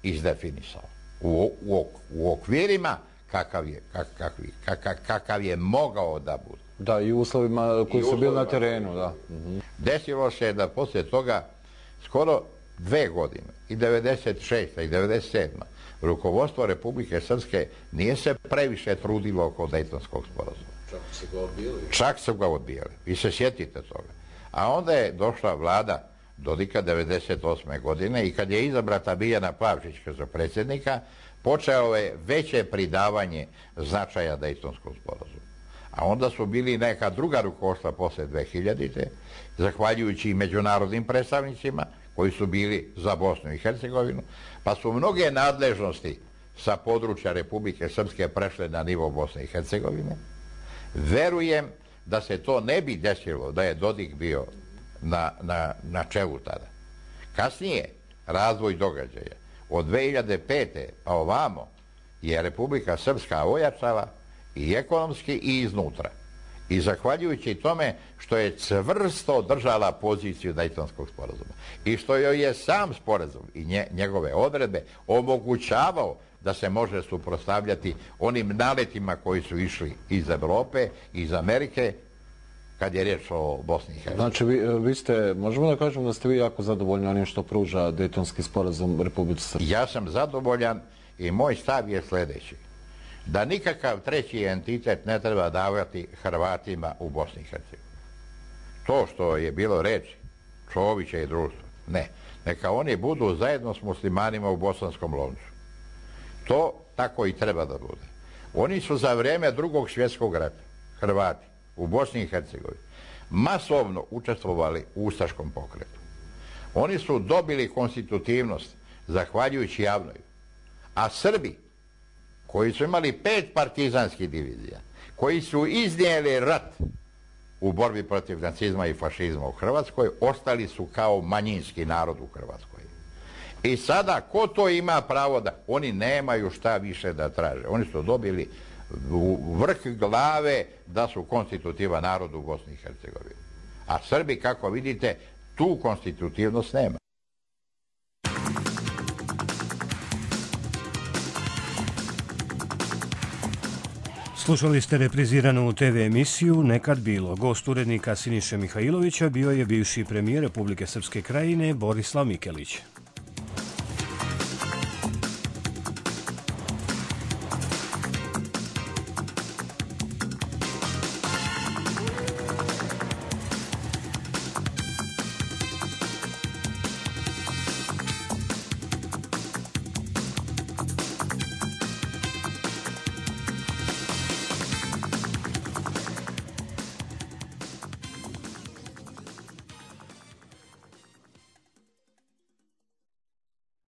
izdefinisao. U, u, u okvirima kakav je, kakav, kakav, kakav je mogao da bude.
Da, i uslovima koji su bili na terenu, da.
Desilo se da poslije toga skoro dve godine, i devedeset šesta i devedeset sedma rukovodstvo Republike Srpske nije se previše trudilo oko Dejtonskog sporazuma.
Čak su ga odbijali.
Čak su ga odbijali. Vi se sjetite toga. A onda je došla vlada Dodika devedeset osme godine i kad je izabrata Biljana Plavšić za predsjednika, počeo je veće pridavanje značaja Dejtonskog sporazuma. A onda su bili neka druga rukovodstva posle dve hiljadite. Zahvaljujući i međunarodnim predstavnicima koji su bili za Bosnu i Hercegovinu, pa su mnoge nadležnosti sa područja Republike Srpske prešle na nivo Bosne i Hercegovine. Verujem da se to ne bi desilo da je Dodik bio na, na, na čelu tada. Kasnije, razvoj događaja od dve hiljade pete pa ovamo je Republika Srpska ojačala i ekonomski i iznutra. I zahvaljujući tome što je čvrsto držala poziciju Dejtonskog sporazuma i što joj je sam sporazum i nje, njegove odredbe omogućavao da se može suprotstavljati onim naletima koji su išli iz Evrope, iz Amerike, kad je riječ o Bosni i Hercegovini.
Znači, vi, vi ste, možemo da kažemo da ste vi jako zadovoljni onim što pruža Dejtonski sporazum Republike Srpske?
Ja sam zadovoljan i moj stav je sljedeći. Da nikakav treći entitet ne treba davati Hrvatima u Bosni i Hercegovini. To što je bilo reči Čovića i društva, ne. Neka oni budu zajedno s muslimanima u Bosanskom loncu. To tako i treba da bude. Oni su za vrijeme Drugog svjetskog rata, Hrvati, u Bosni i Hercegovini, masovno učestvovali u ustaškom pokretu. Oni su dobili konstitutivnost zahvaljujući Javnoju. A Srbi, koji su imali pet partizanskih divizija, koji su iznijeli rat u borbi protiv nacizma i fašizma u Hrvatskoj, ostali su kao manjinski narod u Hrvatskoj. I sada, ko to ima pravo da... Oni nemaju šta više da traže. Oni su dobili u vrh glave da su konstitutivan narod u Bosni i Hercegovini. A Srbi, kako vidite, tu konstitutivnost nema.
Slušali ste repriziranu te ve emisiju Nekad bilo. Gost urednika Siniše Mihajlovića bio je bivši premijer Republike Srpske Krajine Borislav Mikelić.